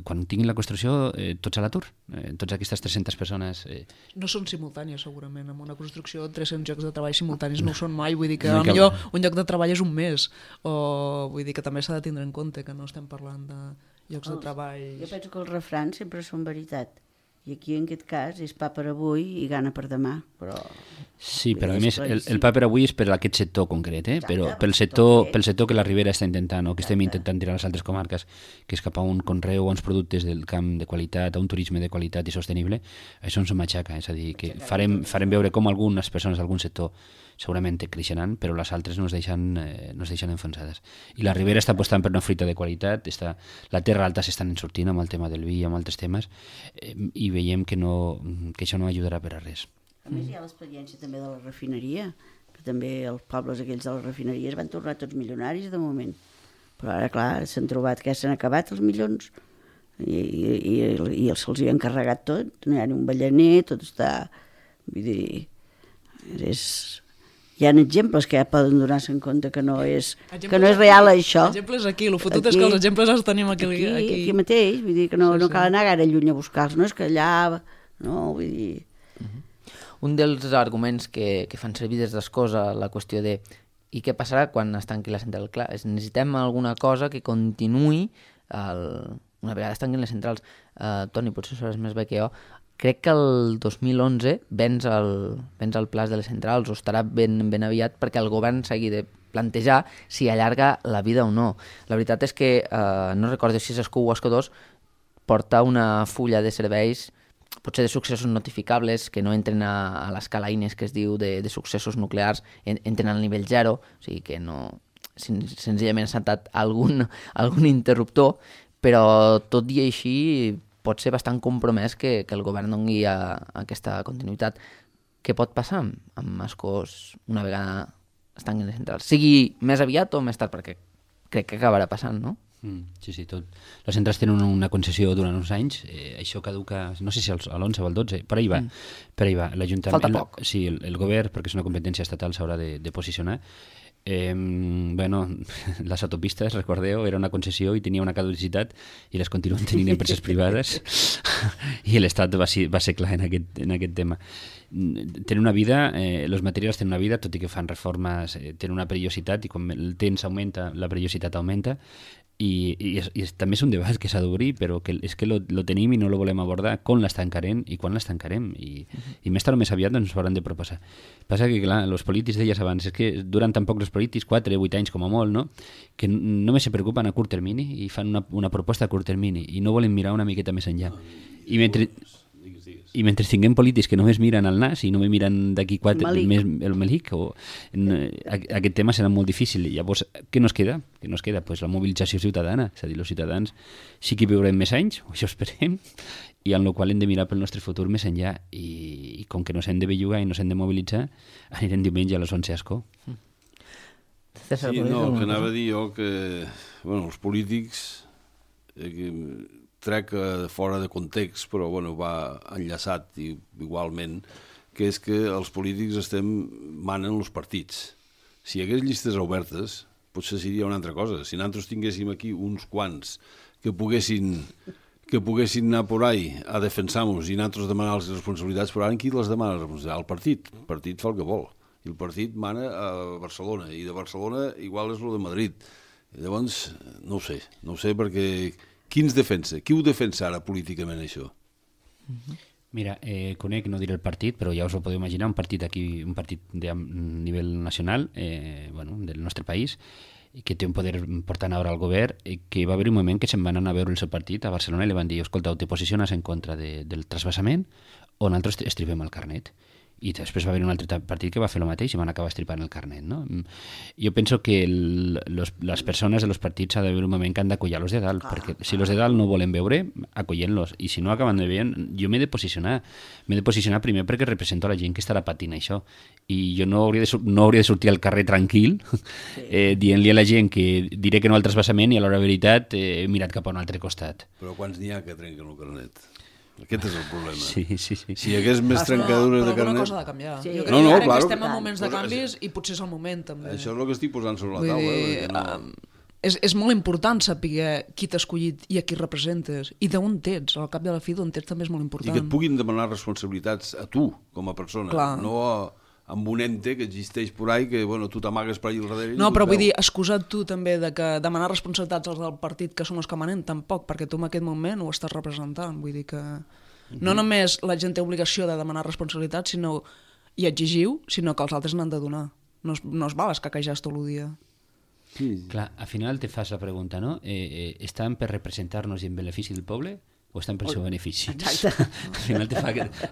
quan tinguin la construcció, tots a l'atur, tots aquestes 300 persones... No són simultànies, segurament. En una construcció, 300 llocs de treball simultanis no ho són mai. Vull dir que potser un lloc de treball és un mes. O vull dir que també s'ha de tindre en compte que no estem parlant de llocs de treball... Jo penso que els refrans sempre són veritat. I aquí, en aquest cas, és pa per avui i gana per demà, però... Sí, però a més, el pa per avui és per aquest sector concret, però pel sector que la Ribera està intentant, o que estem intentant tirar a les altres comarques, que és cap a un conreu, a uns productes del camp de qualitat, a un turisme de qualitat i sostenible, això ens ho matxaca, és a dir, que farem veure com algunes persones d'algun sector segurament creixeran, però les altres no es deixen enfonsades. I la Ribera està apostant per una fruita de qualitat, la Terra Alta s'estan sortint amb el tema del vi i amb altres temes, i veiem que això no ajudarà per a res. A més, hi ha l'experiència també de la refineria, que també els pobles aquells de la refineria es van tornar tots milionaris de moment. Però ara, clar, s'han trobat que s'han acabat els milions i se'ls hi han carregat tot, no hi ha ni un ballaner, tot està... Vull dir, hi ha exemples que ja poden donar-se en compte que no és real això. Exemples aquí, el fotut és que els exemples els tenim aquí mateix, vull dir que no cal anar gaire lluny a buscar-los, no és que allà, no, vull dir... Un dels arguments que fan servir des d'Escosa, la qüestió de i què passarà quan es tanqui la central? Clar, necessitem alguna cosa que continuï una vegada es tanquin les centrals. Toni, potser sabràs més bé que jo, crec que el 2011 vens el pla de les centrals, o estarà ben aviat perquè el govern s'hagi de plantejar si allarga la vida o no. La veritat és que, no recordo si és Escó o Escó 2, porta una fulla de serveis, potser de successos notificables, que no entren a l'escala INES que es diu de successos nuclears, entren al nivell 0, o sigui que no, senzillament s'ha saltat algun interruptor, però tot i així pot ser bastant compromès que el govern doni aquesta continuïtat. Què pot passar amb Escós una vegada es tanquin les centrals? Sigui més aviat o més tard, perquè crec que acabarà passant, no? Sí, tot. Les centrals tenen una concessió durant uns anys, això caduca, no sé si a l'11 o al 12, per ahí va. L'Ajuntament... Falta poc. Sí, el govern, perquè és una competència estatal, s'haurà de posicionar. Les autopistes, recordeu, era una concessió i tenia una caducitat i les continuen tenint empreses privades i l'Estat va ser clar en aquest tema. Tenen una vida, els materials tenen una vida, tot i que fan reformes, tenen una perillositat, i quan el temps augmenta, la perillositat augmenta, i també és un debat que s'ha d'obrir, però que és que lo tenim i no lo volem abordar, com l'estancarem i quan l'estancarem, i més tard o més aviat ens ho hauran de proposar. Passa que, clar, els polítics, deies abans, és que duran tan poc els polítics, 4 o 8 anys com a molt, no? Que només se preocupen a curt termini i fan una proposta a curt termini i no volen mirar una miqueta més enllà. I mentre tinguem polítics que només miren al nas i només miren d'aquí 4 el Melic, aquest tema serà molt difícil. Llavors, què nos queda? Pues la mobilització ciutadana. És a dir, els ciutadans sí que viurem més anys, o això esperem, i en el qual hem de mirar pel nostre futur més enllà. I com que no s'hem de bellugar i no s'hem de mobilitzar, anirem diumenge a les 11 a Ascó. Sí, no, que anava a dir jo que els polítics... trec fora de context, però va enllaçat igualment, que és que els polítics manen els partits. Si hi hagués llistes obertes, potser seria una altra cosa. Si nosaltres tinguéssim aquí uns quants que poguessin anar por ahí a defensar-nos i nosaltres demanar les responsabilitats, però ara qui les demana les responsabilitats? El partit. El partit fa el que vol. I el partit mana a Barcelona, i de Barcelona igual és el de Madrid. I llavors, no ho sé perquè... Qui ens defensa? Qui ho defensa ara políticament, això? Mira, conec, no diré el partit, però ja us ho podeu imaginar, un partit de nivell nacional, del nostre país, que té un poder important ara al govern, que va haver un moment que se'n van anar a veure el seu partit a Barcelona i li van dir, escolta, te posiciones en contra del trasbassament o nosaltres estripem el carnet. I després va haver un altre partit que va fer el mateix i van acabar estripant el carnet, no? Jo penso que les persones de los partits ha d'haver un moment que han d'acollar los de dalt, perquè si los de dalt no volen veure, acollent-los, i si no acaben de veure, jo m'he de posicionar primer perquè represento la gent que estarà patint això, i jo no hauria de sortir al carrer tranquil dient-li a la gent que diré que no al trasbassament i a l'hora de veritat he mirat cap a un altre costat. Però quants n'hi ha que trenquen el carnet? Aquest és el problema. Sí. Si hi hagués més trencadures de carnet... Però alguna cosa ha de canviar. Sí. Jo crec que estem en moments de canvis i potser és el moment, també. Això és el que estic posant sobre la taula. És molt important saber qui t'ha escollit i a qui representes i d'on ets, al cap de la fi d'on ets també és molt important. I que et puguin demanar responsabilitats a tu, com a persona, no amb un ente que existeix por ahí que tu t'amagues per allà al darrere. No, però vull dir, excusa't tu també de que demanar responsabilitats als del partit que són els que manen, tampoc, perquè tu en aquest moment ho estàs representant. Vull dir que no només la gent té obligació de demanar responsabilitats i exigir-ho, sinó que els altres n'han de donar. No es val escaquejar tot el dia. Sí. Clar, al final te fas la pregunta, no? Estan per representar-nos i en benefici del poble o estan pel seu benefici? Exacte. Al final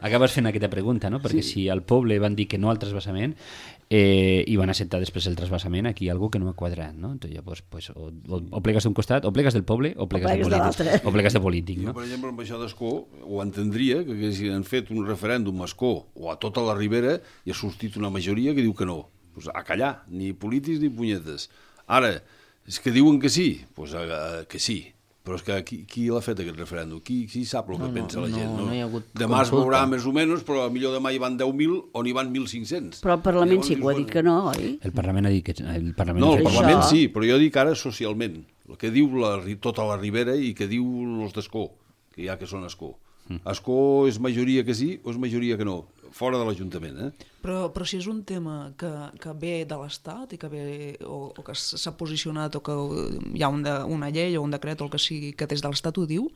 acabes fent aquesta pregunta, no? Perquè si al poble van dir que no al trasbassament i van acceptar després el trasbassament, aquí hi ha algú que no ha quadrat, no? Entonces, llavors, o plegues d'un costat, o plegues del poble, o plegues de polític. No? Jo, per exemple, amb això d'Ascó, ho entendria, que si han fet un referèndum a Ascó o a tota la Ribera, hi ha sortit una majoria que diu que no. Pues a callar, ni polítics ni punyetes. Ara, és que diuen que sí, pues que sí. Però és que qui l'ha fet aquest referèndum? Qui sap el que pensa la gent? No hi ha hagut demà es veurà més o menys, però millor demà hi van 10.000 o n'hi van 1.500. Però el Parlament sí que ho ha dit que no, oi? El Parlament ha dit que... El Parlament sí, però jo dic ara socialment. El que diu tota la Ribera i que diu els d'Ascó, que hi ha que són Ascó. Ascó és majoria que sí o és majoria que no? Fora de l'Ajuntament, Però si és un tema que ve de l'Estat i que ve o que s'ha posicionat o que hi ha una llei o un decret o el que sigui que des de l'Estat ho diu,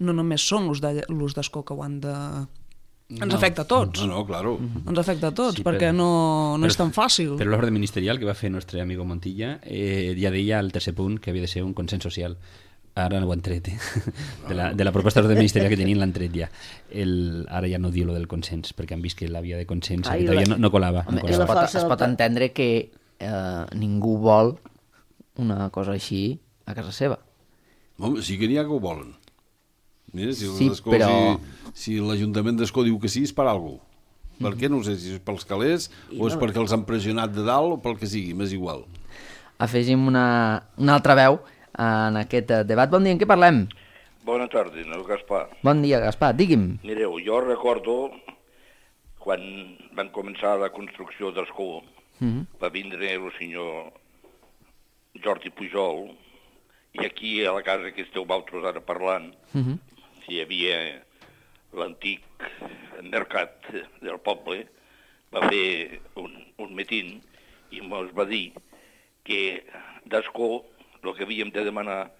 no només són l'ús d'Ascó que ho han de... Ens afecta a tots. No, claro. Ens afecta a tots, perquè no és tan fàcil. Però l'ordre ministerial que va fer el nostre amigo Montilla ja deia al tercer punt que havia de ser un consens social. Ara no ho han tret, de la proposta d'ordre ministerial que tenien l'han tret ja. Ara ja no diu lo del consens, perquè han vist que la via de consens no colava. Es pot entendre que ningú vol una cosa així a casa seva. Home, sí que n'hi ha que ho volen. Mira, si l'Ajuntament d'Ascó diu que sí, és per alguna cosa. Per què? No sé si és pels calés o és perquè els han pressionat de dalt o pel que sigui, m'és igual. Afegim una altra veu en aquest debat. Bon dia, en què parlem? Bona tarda, el Gaspar. Bon dia, Gaspar, digui'm. Mireu, jo recordo quan van començar la construcció d'Ascó, va vindre el senyor Jordi Pujol, i aquí a la casa que esteu vosaltres ara parlant, hi havia l'antic mercat del poble, va fer un meeting i ens va dir que d'Ascó el que havíem de demanar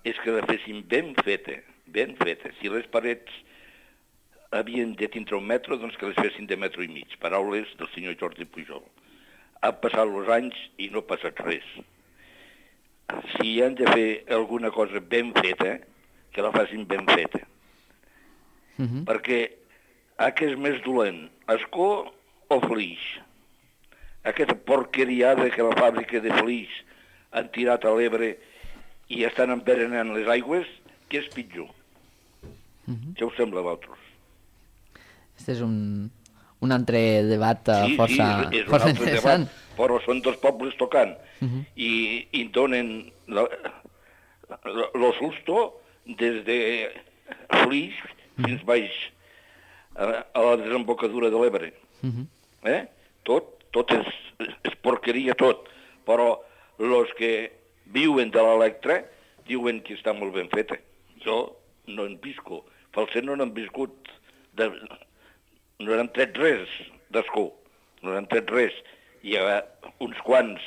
és que la fessin ben feta, ben feta. Si les parets havien de tindre 1 metre, doncs que les fessin de 1,5 metres. Paraules del senyor Jordi Pujol. Han passat els anys i no ha passat res. Si han de fer alguna cosa ben feta, que la facin ben feta. Perquè què és més dolent, escó o flix? Aquesta porqueriada que la fàbrica de flix han tirat a l'Ebre i estan envenenant les aigües, què és pitjor? Què us sembla a vosaltres? Este és un altre debat força interessant. Debat, però són dos pobles tocant i donen lo susto des de Flix fins baix a la desembocadura de l'Ebre. Tot és porqueria tot, però els que viuen de l'Electra diuen que està molt ben feta. Jo no en visco. Falset no n'han viscut, no n'han tret res d'escó, no n'han tret res. Hi ha uns quants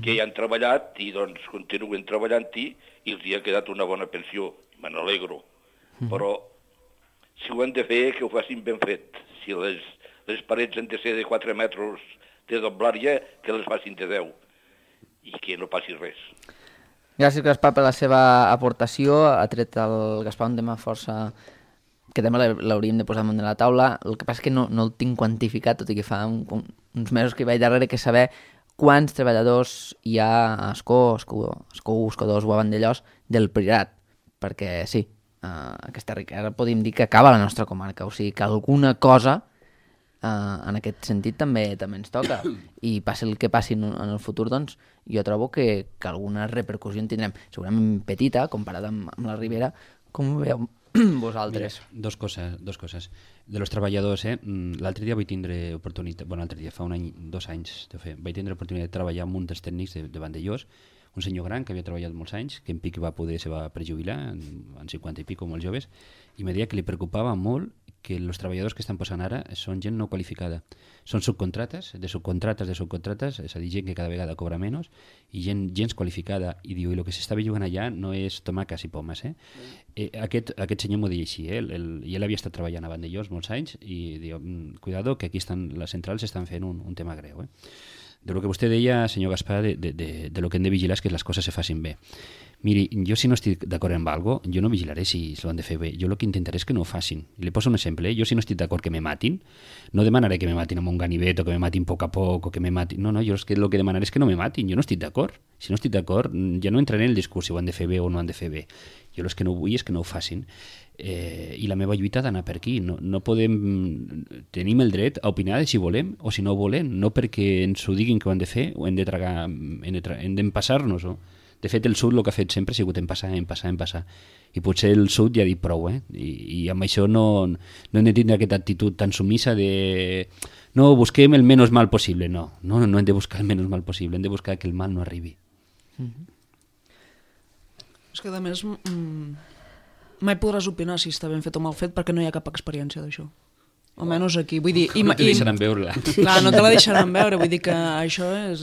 que hi han treballat i doncs continuen treballant-hi i els hi ha quedat una bona pensió. Me n'alegro. Però si ho han de fer, que ho facin ben fet. Si les parets han de ser de 4 metres de doblària, que les facin de 10 i que no passi res. Gràcies, Gaspar, per la seva aportació. Ha tret el Gaspar un tema força que també l'hauríem de posar damunt de la taula. El que passa és que no el tinc quantificat, tot i que fa uns mesos que hi vaig darrere, que saber quants treballadors hi ha a Escó 2 o a Vandellòs del Priorat. Perquè sí, aquesta riquesa podríem dir que acaba a la nostra comarca, o sigui que alguna cosa en aquest sentit també ens toca, i passi el que passi en el futur, doncs jo trobo que alguna repercussió en tindrem, segurament petita comparat amb la Ribera. Com ho veieu vosaltres? Mira, dos coses. De los treballadors, l'altre dia vaig tindre oportunitat, l'altre dia, fa un any, 2 anys, vaig tindre oportunitat de treballar amb un dels tècnics de Vandellòs, un senyor gran que havia treballat molts anys, que en pic se va prejubilar, en 50 i pico, molt joves, i me deia que li preocupava molt que els treballadors que estan posant ara són gent no qualificada. Són subcontrates, de subcontrates, és a dir, gent que cada vegada cobra menys, i gent qualificada. I diu, i el que s'estava jugant allà no és tomaques i pomes. Aquest senyor m'ho deia així, i ell havia estat treballant a Vandellòs molts anys, i diu, cuidado, que aquí les centrals estan fent un tema greu. De lo que vostè deia, senyor Gaspar, de lo que hem de vigilar és que les coses se facin bé. Miri, jo si no estic d'acord amb alguna cosa, jo no vigilaré si ho han de fer bé. Jo el que intentaré és que no ho facin. I li poso un exemple. Jo si no estic d'acord que me matin, no demanaré que me matin amb un ganivet o que me matin a poc a poc o que me matin... No, jo el que demanaré és que no me matin. Jo no estic d'acord. Si no estic d'acord, ja no entraré en el discurs si ho han de fer bé o no han de fer bé. Jo el que no vull és que no ho facin. I la meva lluita ha d'anar per aquí. No podem... Tenim el dret a opinar de si volem o si no volem, no perquè ens ho diguin que ho han de fer o hem de tragar, hem d'empassar-nos-ho. De fet, el sud el que ha fet sempre ha sigut empassar. I potser el sud ja ha dit prou, I amb això no hem de tindre aquesta actitud tan submissa de no, busquem el menys mal possible. No hem de buscar el menys mal possible, hem de buscar que el mal no arribi. És que, a més, mai podràs opinar si està ben fet o mal fet perquè no hi ha cap experiència d'això. Almenys aquí, vull dir... No te deixaran veure-la. Clar, no te la deixaran veure, vull dir que això és...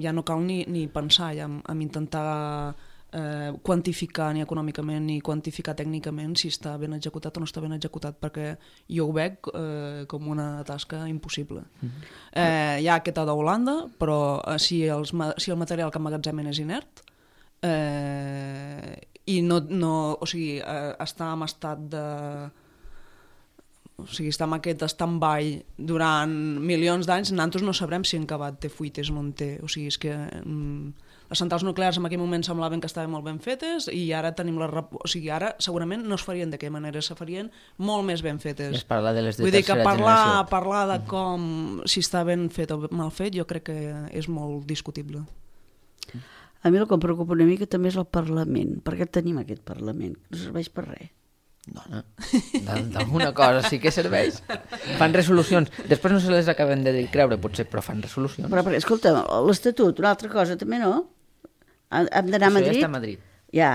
ja no cal ni pensar ja en intentar quantificar ni econòmicament ni quantificar tècnicament si està ben executat o no està ben executat, perquè jo ho veig com una tasca impossible. Hi ha aquesta d'Holanda, però si el material que emmagatzemen és inert i o sigui, està en estat de... O sigui, està en aquest stand-by durant milions d'anys, nosaltres no sabrem si en acabat té fuites o no en té. O sigui, és que les centrals nuclears en aquell moment semblaven que estaven molt ben fetes i ara tenim o sigui, ara segurament no es farien d'aquella manera, se farien molt més ben fetes. Es parla de les de vull dir que tercera parlar de com si està ben fet o mal fet jo crec que és molt discutible. A mi el que em preocupa una mica també és el Parlament. Per què tenim aquest Parlament? No serveix per res. Dona, d'alguna cosa sí que serveix. Fan resolucions. Després no se les acaben de creure, potser, però fan resolucions. Però escolta, l'Estatut, una altra cosa també, no? Hem d'anar a Madrid? Això ja està a Madrid. Ja.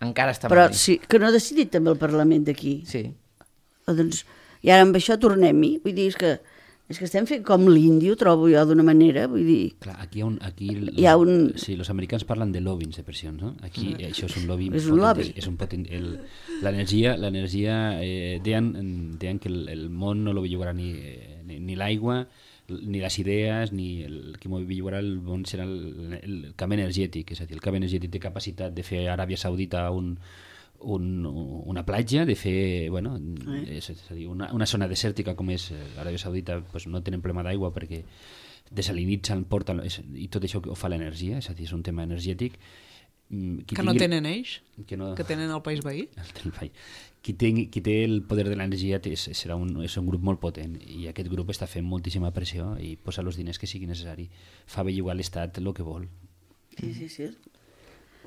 Encara està a Madrid. Madrid. Però sí, que no ha decidit també el Parlament d'aquí. Sí. Doncs, i ara amb això tornem-hi. Vull dir, és que És que estem fent com l'índio, trobo jo d'una manera, vull dir... Clar, aquí hi ha un... Sí, els americans parlen de lobbying de pressions, no? Aquí això és un lobby. És un lobby. L'energia, deien que el món no lo bellugarà ni l'aigua, ni les idees, ni el que bellugarà el món serà el camp energètic, és a dir, el camp energètic té capacitat de fer a Aràbia Saudita una platja, de fer, bueno, és a dir, una zona desèrtica com és l'Aràbia Saudita, doncs no tenen problema d'aigua perquè desalinitzen, porten, i tot això ho fa l'energia, és a dir, és un tema energètic. Que no tenen ells? Que tenen el país veí? Qui té el poder de l'energia és un grup molt potent, i aquest grup està fent moltíssima pressió i posa els diners que sigui necessari. Fa bellugar l'Estat el que vol. Sí.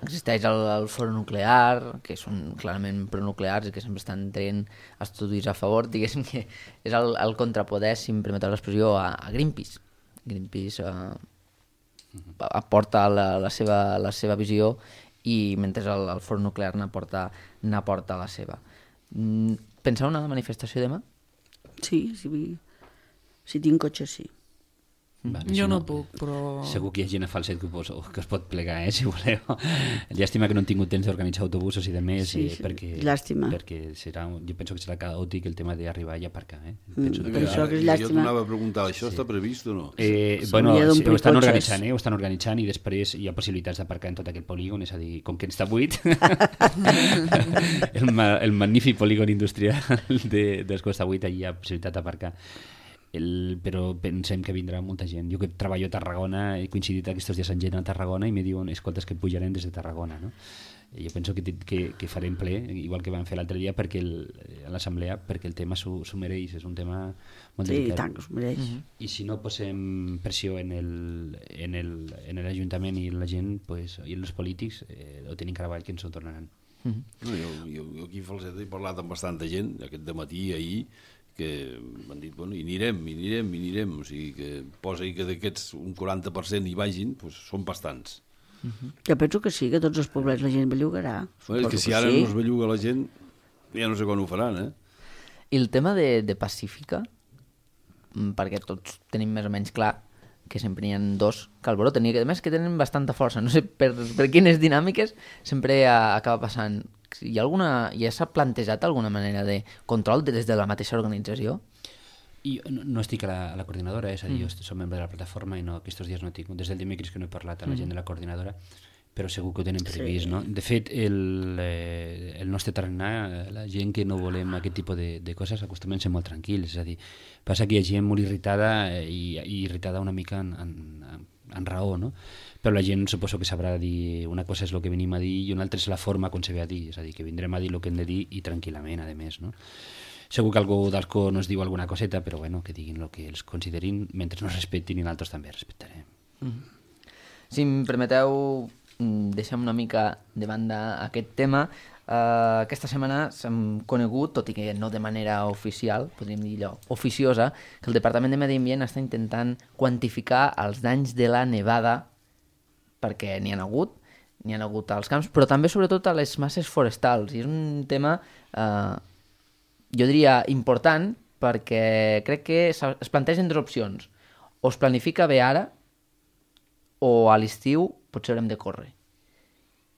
Existeix el foro nuclear, que són clarament pronuclears i que sempre estan traient estudis a favor, diguéssim que és el contrapoder, si em permeteu l'expressió, a Greenpeace. Greenpeace aporta la seva visió i mentre el foro nuclear n'aporta la seva. Penseu una manifestació demà? Sí, si tinc cotxe, sí. Vale, jo no puc, però... Segur que hi ha gent a Falset que es pot plegar, si voleu. Llàstima que no han tingut temps d'organitzar autobusos i de més, llàstima. Perquè jo penso que serà caòtic el tema d'arribar i aparcar. Penso que és llàstima. Jo t'anava a preguntar, això està previst o no? Bueno, ho estan organitzant i després hi ha possibilitats d'aparcar en tot aquest polígon, és a dir, com que està buit, el magnífic polígon industrial dels que està buit, allà hi ha possibilitat d'aparcar. Però pensem que vindrà molta gent. Jo que treballo a Tarragona he coincidit aquests dies amb gent a Tarragona i me diuen, escoltes, que pujarem des de Tarragona, no? Jo penso que farem ple, igual que vam fer l'altre dia a l'assemblea, perquè el tema s'ho mereix, és un tema molt delicat. Sí, tant que s'ho mereix. I si no posem pressió en l'Ajuntament i la gent, i els polítics, ho tenim treball que ens ho tornaran. Jo aquí a Falset he parlat amb bastanta gent, aquest dematí, ahir, que m'han dit, bueno, i anirem, o sigui que posa que d'aquests un 40% hi vagin, doncs són bastants. Jo penso que sí, que tots els poblets la gent bellugarà. És que si ara no es belluga la gent, ja no sé quan ho faran, I el tema de Pacífica, perquè tots tenim més o menys clar que sempre n'hi ha dos que alboroten, i a més que tenen bastanta força, no sé per quines dinàmiques sempre acaba passant. Ja s'ha plantejat alguna manera de control des de la mateixa organització? I no estic a la coordinadora, és a dir, jo soc membre de la plataforma i aquests dies no tinc, des del dimecres que no he parlat a la gent de la coordinadora, però segur que ho tenen previst, no? De fet, el nostre tarannà, la gent que no volem aquest tipus de coses acostumem a ser molt tranquils, és a dir, passa que hi ha gent molt irritada i irritada una mica en raó, no? Però la gent suposo que sabrà dir una cosa és el que venim a dir i una altra és la forma com se ve a dir, és a dir, que vindrem a dir el que hem de dir i tranquil·lament, a més, no? Segur que algú d'Ascó no es diu alguna coseta, però bueno, que diguin el que els considerin mentre no respectin i nosaltres també respectarem. Si em permeteu, deixem una mica de banda aquest tema. Aquesta setmana s'hem conegut, tot i que no de manera oficial, podríem dir allò, oficiosa, que el Departament de Medi Ambient està intentant quantificar els danys de la nevada, perquè n'hi ha hagut als camps, però també sobretot a les masses forestals. I és un tema, jo diria, important, perquè crec que es plantegen dues opcions. O es planifica bé ara, o a l'estiu potser haurem de córrer.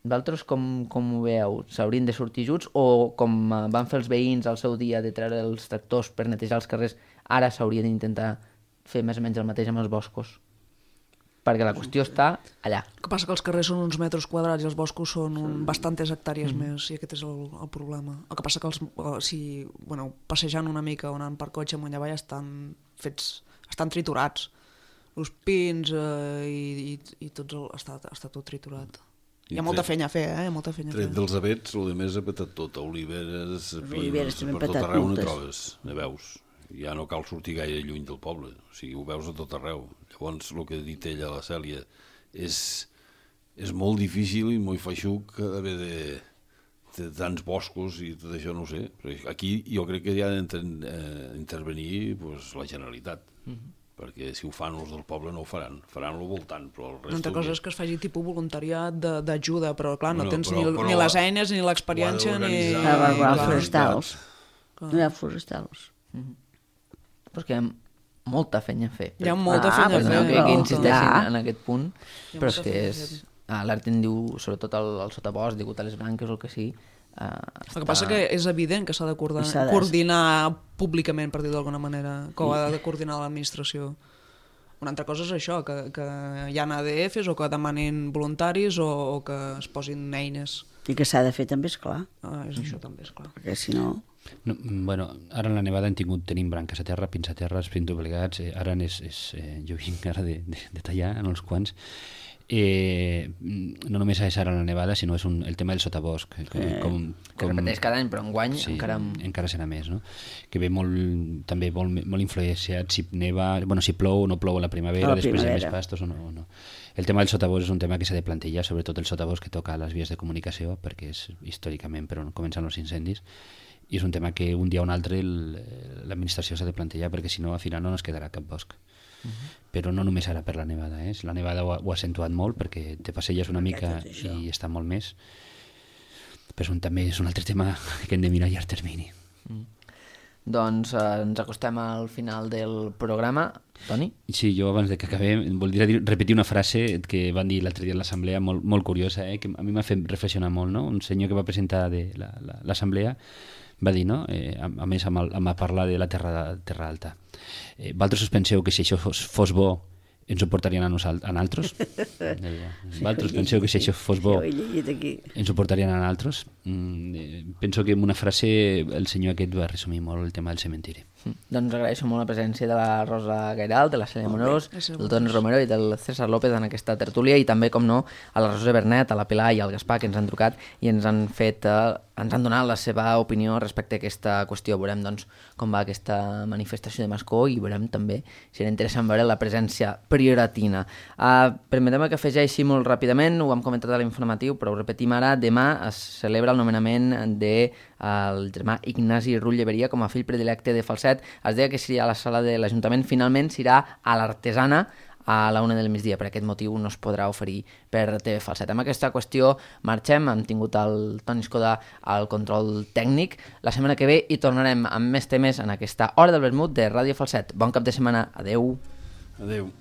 Vosaltres com ho veieu? S'haurien de sortir junts o com van fer els veïns al seu dia de treure els tractors per netejar els carrers, ara s'hauria d'intentar fer més o menys el mateix amb els boscos? Perquè la qüestió està allà. El que passa que els carrers són uns metres quadrats i els boscos són bastantes hectàrees més, i aquest és el problema. El que passa que passejant una mica o anant per cotxe amunt i avall estan triturats. Els pins i està tot triturat. Hi ha molta feina a fer, molta feina a fer. Tret dels avets, el més ha petat tot, oliveres, pins, per tot arreu no trobes, ne veus. Ja no cal sortir gaire lluny del poble, o sigui, ho veus a tot arreu. Llavors, el que ha dit ella, la Cèlia, és molt difícil i molt feixuc haver de tants boscos i tot això, no ho sé. Aquí jo crec que hi ha d'intervenir la Generalitat, perquè si ho fan els del poble no ho faran al voltant, però el resta... Una altra cosa és que es faci tipus voluntariat d'ajuda, però clar, no tens ni les eines, ni l'experiència, ni... No hi ha forestals. Perquè molta feina a fer. Hi ha molta feina a fer. Que insisteixin en aquest punt, però és que és... L'art en diu, sobretot el sotabosc, digut a les branques o el que sigui. El que passa que és evident que s'ha de coordinar públicament, per dir d'alguna manera, que ho ha de coordinar l'administració. Una altra cosa és això, que hi ha ADFs o que demanin voluntaris o que es posin eines. I que s'ha de fer també, esclar. És això també, esclar. Perquè si no... Bueno, ara en la nevada tenim branques a terra, pins a terra, pins doblegats, ara jo vinc ara de tallar en els quants. No només és ara la nevada, sinó és el tema del sotabosc. Que repeteix cada any, però enguany encara serà més, no? Que ve també molt influenciat si neva, si plou o no plou a la primavera, després hi ha més pastos o no. El tema del sotabosc és un tema que s'ha de plantejar, sobretot el sotabosc que toca a les vies de comunicació, perquè és històricament per on comencen els incendis, i és un tema que un dia o un altre l'administració s'ha de plantejar, perquè si no al final no ens quedarà cap bosc. Però no només ara per la nevada, la nevada ho ha accentuat molt perquè te passelles una mica i està molt més, però també és un altre tema que hem de mirar a llarg termini. Doncs ens acostem al final del programa. Toni? Sí, jo abans de que acabem voldria repetir una frase que van dir l'altre dia a l'assemblea molt curiosa, que a mi m'ha fet reflexionar molt, no? Un senyor que va presentar l'assemblea va dir, no? A més amb parlar de la terra alta. Vosaltres us penseu que si això fos bo ens ho portarien a nosaltres? Vosaltres penseu que si això fos bo ens ho portarien a nosaltres? Penso que amb una frase el senyor aquest va resumir molt el tema del cementiri. Doncs agraeixo molt la presència de la Rosa Gairal, de la Cèlia Morós, del Toni Romero i del César López en aquesta tertúlia, i també, com no, a la Rosa Bernet, a la Pilar i al Gaspar, que ens han trucat i ens han donat la seva opinió respecte a aquesta qüestió. Veurem doncs, com va aquesta manifestació de Mascó i veurem també si era interessant veure la presència prioratina. Permetem que afegeixi molt ràpidament, ho hem comentat a l'informatiu, però ho repetim ara, demà es celebra el nomenament del germà Ignasi Rull Lleberia com a fill predilecte de Falset. Es deia que seria a la sala de l'Ajuntament, finalment serà a l'Artesana a la 1 del migdia. Per aquest motiu no es podrà oferir per TV Falset. Amb aquesta qüestió marxem, hem tingut el Toni Escoda al control tècnic. La setmana que ve hi tornarem amb més temes en aquesta Hora del Vermut de Ràdio Falset. Bon cap de setmana, adeu. Adeu.